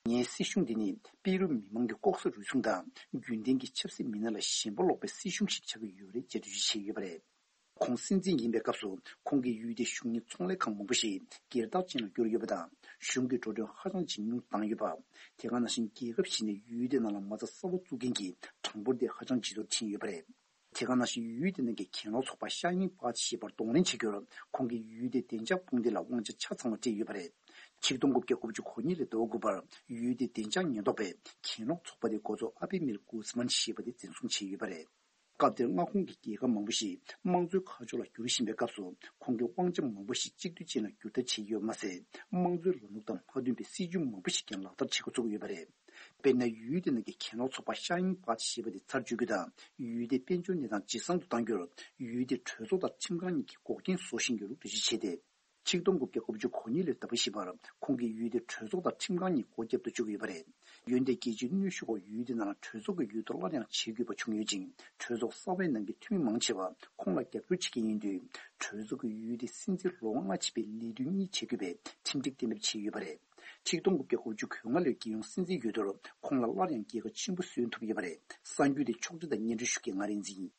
ངའི་སྲིད་གཞུང་འདི་ནི་པེ་རུ་མི་མང་གི་ལྐོག་ཟ་རུལ་སུངས་དང་རྒྱུན་ལྡན་གྱི་ཆབ་སྲིད་མི་སྣ་ལ་ཞེན་པ་ལོག་པའི་སྲིད་གཞུང་ཞིག་ཆགས་ཀྱི་ཡོད་རེད་ཅེས་འགྲེལ་བརྗོད་བྱས་ཡོད་པ་རེད། ཁོང་སྲིད་འཛིན་ཡིན་པའི་སྐབས་སུ་ཁོང་གིས་ཡུལ་དེའི་གཞུང་གཉེར་ཚོང་ལས་ཁང་མང་པོ་ཞིག་སྒེར་བདག་ཅན་ལ་བསྒྱུར་ཡོད་པ་དང་། གཞུང་གི་འགྲོ་གྲོན་ཧ་ཅང་ཇེ་ཉུང་བཏང་ཡོད་པ། དེ་ག་ནང་བཞིན་རྒྱལ་ཁབ་གཞན་ནས་ཡུལ་དེའི་ནང་ལ་མ་རྩ་གསར་པ་བཙུགས་མཁན་གྱི་གྲངས་འབོར་དེ་ཧ་ཅང་ཇེ་མཐོར་ཕྱིན་ཡོད་པ་རེད། དེ་ག་ནང་བཞིན་ཡུལ་དེ་ནང་གི་གྱེན་ལོག་ཚོགས་པ་ཤ་ཡིན་པ་ཞེས་པར་གདོང་ལེན་བྱེད་རྒྱུར་ཁོང་གིས་ཡུལ་དེའི་བདེ་འཇགས་དཔུང་སྡེ་ལ་དབང་ཆ་ཆ་ཚང་བ་སྤྲད་ཡོད་པ་རེད། ཆིག་སྟོང་དགུ་བརྒྱ་དགུ་བཅུ་གོ་གཉིས་ལོའི་ཟླ་བ་དགུ་པར་ཡུལ་དེའི་བདེ་འཇགས་ཉེན་རྟོག་པས་གྱེན་ལོག་ཚོགས་པ་དེའི་འགོ་གཙོ་ཨ་པེ་མིར་གུ་སི་མན་ཞེས་པ་དེ་འཛིན་བཟུང་བྱས་ཡོད་པ་རེད། སྐབས་དེར་མངའ་ཁོངས་ཀྱི་རྒྱལ་ཁབ་མང་པོ་ཞིག་དམངས་གཙོའི་ཁ་ཕྱོགས་ལ་བསྒྱུར་བཞིན་པའི་སྐབས་སུ་ཁོང་གིས་དབང་ཆ་མང་པོ་ཞིག་གཅིག་སྡུད་ཅན་ལ་བསྒྱུར་ཐབས་བྱས་ཡོད་མ་ཟད། དམངས་གཙོའི་ལམ་ལུགས་དང་མ་མཐུན་པའི་སྲིད་ཇུས་མང་པོ་ཞིག་ཀྱང་ལག་བསྟར་བྱེད་འགོ་བཙུགས་ཡོད་པ་རེད། དཔེར་ན། ཡུལ་དེ་ནང་གི་གྱེན་ལོག་ཚོགས་པ་ཤ་ཡིན་པ་ཞེས་པ་དེ་ཚར་གཅོད་རྒྱུ་དང་། ཡུལ་དེའི་དཔལ་འབྱོར་གནས་སྟངས་ཇེ་བཟང་དུ་གཏང་རྒྱུར་ཡུལ་དེའི་གྲོས་ཚོགས་དང་ཁྲིམས་ཁང་གཉིས་ཀྱིས་འགོག་རྐྱེན་བཟོ་བཞིན་ཡོད་ལུགས་འགྲེལ་བརྗོད་བྱས་ཏེ། ཆིག་སྟོང་དགུ་བརྒྱ་དགུ་བཅུ་གོ་གཉིས་ལོའི་ཟླ་བ་བཞི་པར་ཁོང་གིས་ཡུལ་དེའི་གྲོས་ཚོགས་དང་ཁྲིམས་ཁང་གཉིས་སྒོ་བརྒྱབ་ཏུ་བཅུག་ཡོད་པ་རེད། འོན་ཏེ་རྒྱལ་སྤྱིའི་གནོན་ཤུགས་འོག་ཡུལ་དེའི་ནང་ལ་གྲོས་ཚོགས་ཀྱི་འོས་བསྡུ་སླར་ཡང་བྱེད་དགོས་པ་བྱུང་ཡོད་ཅིང་། གྲོས་ཚོགས་གསར་པའི་ནང་གི་འཐུས་མི་མང་ཆེ་བ་ཁོང་ལ་རྒྱབ་སྐྱོར་བྱེད་མཁན་ཡིན་དུས། གྲོས་ཚོགས་ཀྱིས་ཡུལ་དེའི་སྲིད་འཛིན་ལོ་ལྔ་ཕྱིན་པའི་ལས་དུས་གཉིས་བྱེད་དགོས་པའི་ཁྲིམས་སྒྲིག་གཏན་འབེབས་བྱས་ཡོད་པ་རེད། ཆིག་སྟོང་དགུ་བརྒྱ་དགུ་བཅུ་གོ་ལྔ་ལོའི་རྒྱལ་ཡོངས་སྲིད་འཛིན་འོས་བསྡུར་ཁོང་ལ་སླར་ཡང་རྒྱལ་ཁ་ཆེན་པོ་སོན་ཐུབ་ཡོད་པ་རེད། གསར་འགྱུར་དེ་ཕྱོགས་སྒྲིག་དང་སྙན་སྒྲོན་ཞུ་མཁན་ང་རིག་འཛིན་ཡིན།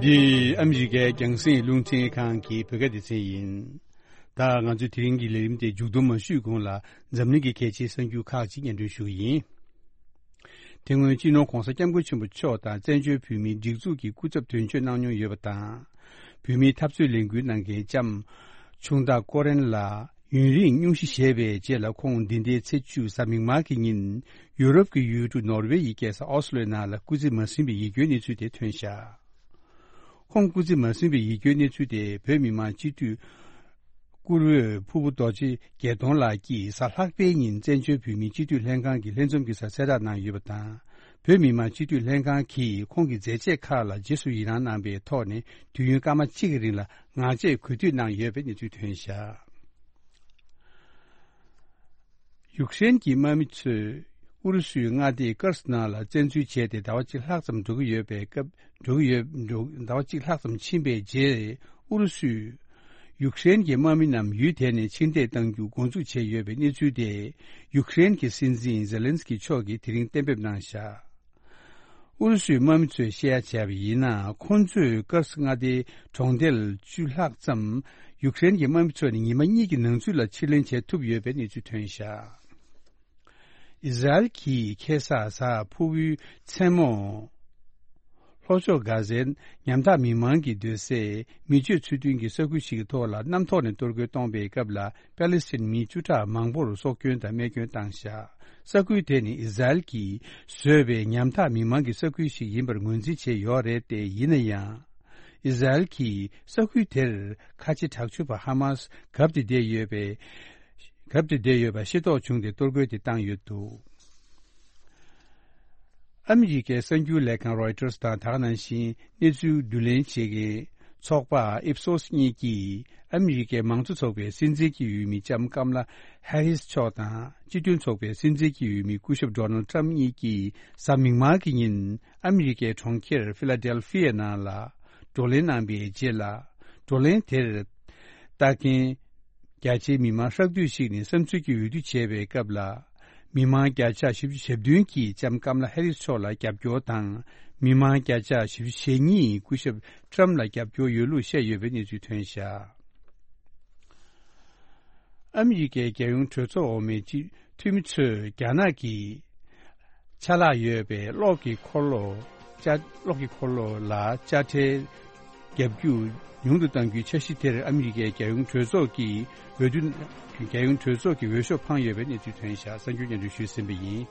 འདི་ཨ་མི་རི་ཀའི་རྒྱང་སྲིང་རླུང་འཕྲིན་ཁང་གི་བོད་སྐད་སྡེ་ཚན་ཡིན། ད་ང་ཚོའི་དེ་རིང་གི་ལས་རིམ་དེ་མཇུག་བསྡོམས་མ་ཞུས་གོང་ལ། འཛམ་གླིང་གི་གལ་ཆེའི་གསར་འགྱུར་ཁག་ཅིག་སྙན་སྒྲོན་ཞུ་གི་ཡིན། དེ་སྔོན་སྤྱི་ནོར་༧གོང་ས་༧སྐྱབས་མགོན་ཆེན་པོ་མཆོག་དང་བཙན་བྱོལ་བོད་མིའི་སྒྲིག་འཛུགས་ཀྱི་སྐུ་ཚབ་དོན་གཅོད་གནང་མྱོང་ཡོད་པ་དང་། བོད་མིའི་འཐབ་རྩོད་ལས་འགུལ་གནང་མཁན་ལྕམ་ཆུང་བདག་ཀོ་རན་ལགས་ཡུན་རིང་སྙུང་གཞི་བཞེས་པའི་རྗེས་ལ། ཁོང་འདི་ཟླའི་ཚེས་བཅུ་གཟའ་མིག་དམར་གྱི་ཉིན་ཡུ་རོབ་ཀྱི་ཡུལ་གྲུ་ནོར་ཝེ་ཡི་རྒྱལ་ས་ཨོ་སི་ལོའི་ནང་ལ་སྐུ་ཚེ་མ་ཟིན་པའི་ཡིད་སྐྱོའི་གནས་ཚུལ་དེ་ཐོན་བཞག་ཁོང་སྐུ་ཚེ་མ་ཟིན་པའི་ཡིད་སྐྱོའི་གནས་ཚུལ་དེ་བོད་མི་མང་སྤྱི་འཐུས་བཀུར་འོས་ཕུར་བུ་རྡོ་རྗེ་རྒྱལ་མཐོང་ལགས་ཀྱིས་གཟའ་ལྷག་པའི་ཉིན་བཙན་བྱོལ་བོད་མིའི་སྤྱི་འཐུས་ལྷན་ཁང་གི་ལྷན་འཛོམས་ཀྱི་སར་གསལ་བསྒྲགས་གནང་ཡོད་པ་དང་། བོད་མི་མང་སྤྱི་འཐུས་ལྷན་ཁང་གིས་ཁོང་གི་མཛད་རྗེས་ཁག་ལ་རྗེས་སུ་ཡི་རང་གནང་པའི་ཐོག་ནས་དུས་ཡུན་སྐར་མ་གཅིག་གི་རིང་ལ་ངག་བཅད་གུས་འདུད་གནང་ཡོད་པའི་གནས་ཚུལ་ཐོན་བཞག་ཡུཀ་རེན་གྱི་དམག་མི་ཚོས་ཨུ་རུ་སུའི་མངའ་སྡེ་ཀར་སི་ནང་ལ་བཙན་འཛུལ་བྱས་ཏེ་ཟླ་བ་གཅིག་ལྷག་ཙམ་འགྲོ་གི་ཡོད་པའི་སྐབས། འགྲོ་གི་ཡོད། འགྲོ། ཟླ་བ་གཅིག་ལྷག་ཙམ་ཕྱིན་པའི་རྗེས། ཨུ་རུ་སུས་ཡུཀ་རེན་གྱི་དམག་མི་རྣམས་ཡུལ་དེ་ནས་ཕྱིར་འཐེན་གཏང་རྒྱུ་འགོ་འཛུགས་བྱས་ཡོད་པའི་གནས་ཚུལ་དེ། ཡུཀ་རེན་གྱི་སྲིད་འཛིན་ཛེ་ལན་སི་ཀི་མཆོག་གིས་དེ་རིང་གཏན་འབེབས་གནང་བཞག་ཨུ་རུ་སུའི་དམག་མི་ཚོས་བཤད་ཡ་བྱས་པ་ཡིན་ན། ཁོང་ཚོས་ཀར་སི་མངའ་སྡེའི་གྲོང་རྡལ་བཅུ་ལྷག་ཙམ་ཡུཀ་རེན་གྱི་དམག་མི་ཚོ་ནས་ཉི་མ་གཉིས་ཀྱི་ནང་ཚུད་ལ་ཕྱིར་ལེན་བྱེད་ཐུབ་ཡོད་པའི་གནས་ཚུལ་ཐོན་བཞག་ཨི་ཟ་རེལ་གྱིས་ཁ་སང་གཟའ་ཕུར་བུའི་མཚན་མོ། ལྷོ་ཕྱོགས་གྷ་ཟའི་ཉམ་ཐག་མི་མང་གི་སྡོད་སའི་མི་སྤྱོད་ཚུལ་མཐུན་གྱི་ས་ཁུལ་ཞིག་གི་ཐོག་ལ་གནམ་ཐོག་ནས་གཏོར་རྒོལ་གཏོང་པའི་སྐབས་ལ། པ་ལི་སི་ཐན་མི་བཅུ་ཕྲག་མང་པོར་སྲོག་སྐྱོན་དང་རྨས་སྐྱོན་བཏང་བཞག་ས་ཁུལ་དེ་ནི་ཨི་ཟ་རེལ་གྱིས་བཟོས་པའི་ཉམ་ཐག་མི་མང་གི་ས་ཁུལ་ཞིག་ཡིན་པར་ངོས་འཛིན་བྱས་ཡོད་རེད་དེ། ཡིན་ན་ཡང་། ཨི་ཟ་རེལ་གྱིས་ས་ཁུལ་དེར་ཁ་ཆེ་དྲག་སྤྱོད་པ་ཧ་མ་སི་གབ་སྟེ་བསྡད་ཡོད་པའི། གབ་སྟེ་བསྡད་ཡོད་པ་ཤེས་རྟོགས་བྱུང་སྟེ་གཏོར་རྒོལ་དེ་བཏང་ཡོད་འདུག་ཨ་མི་རི་ཀའི་གསར་འགྱུར་ལས་ཁང་རོའི་ཊར་སི་དང་། ད་ག་ནང་བཞིན་གནས་ཚུལ་བསྡུ་ལེན་བྱེད་མཁན་ཚོགས་པ་ཨིབ་སོ་སི་གཉིས་ཀྱིས་ཨ་མི་རི་ཀའི་མང་གཙོ་ཚོགས་པའི་སྲིད་འཛིན་གྱི་འོས་མི་ལྕམ་ཀམ་ལ་ཧེ་རིས་མཆོག་དང་། སྤྱི་མཐུན་ཚོགས་པའི་སྲིད་འཛིན་གྱི་འོས་མི་སྐུ་ཞབས་ཌོ་ནལ་ཊམ་གཉིས་ཀྱིས་གཟའ་མིག་དམར་གྱི་ཉིན་ཨ་མི་རི་ཀའི་གྲོང་ཁྱེར་ཕི་ལ་ཌེལ་ཕི་ཡ་ནང་ལ་བགྲོ་གླེང་གནང་པའི་རྗེས་ལ། བགྲོ་གླེང་དེར་ལྟ་མཁན་རྒྱ་ཆེའི་མི་མང་ཧྲག་བསྡུས་ཤིག་ནས་བསམ་ཚུལ་གྱི་འོས་བསྡུ་བྱས་པའི་སྐབས་ལ། མི་མང་བརྒྱ་ཆ་བཞི་བཅུ་ཞེ་བདུན་གྱིས་ལྕམ་ཀམ་ལ་ཧེ་རིས་མཆོག་ལ་རྒྱབ་སྐྱོར་དང་། མི་མང་བརྒྱ་ཆ་བཞི་བཅུ་ཞེ་གཉིས་སྐུ་ཞབས་ཊམ་ལ་རྒྱབ་སྐྱོར་ཡོད་ལུགས་བཤད་ཡོད་པའི་གནས་ཚུལ་ཐོན་བཞག་ཨ་མི་རི་ཀའི་རྒྱལ་ཡོངས་གྲོས་ཚོགས་འོག་མའི་སྤྱི་འཐུས་མི་ཚོས་རྒྱ་ནག་གི་ཆ་ལག་ཡོད་པའི་གློག་གི་འཁོར་ལོ། ཅ་གློག་གི་འཁོར་ལོ་ལ་དཔྱ་ཁྲལ་བརྒྱབ་རྒྱུ་ཉུང་དུ་གཏང་རྒྱུའི་འཆར་གཞི་དེར་ཨ་མི་རི་ཀའི་རྒྱལ་ཡོངས་གྲོས་ཚོགས་ཀྱི་འོས་བསྡུ། རྒྱལ་ཡོངས་གྲོས་ཚོགས་ཀྱི་འོས་ཤོག་འཕངས་ཡོད་པའི་གནས་ཚུལ་ཐོན་བཞག་གསར་འགྱུར་སྙན་སྒྲོན་ཞུས་ཟིན་པ་ཡིན།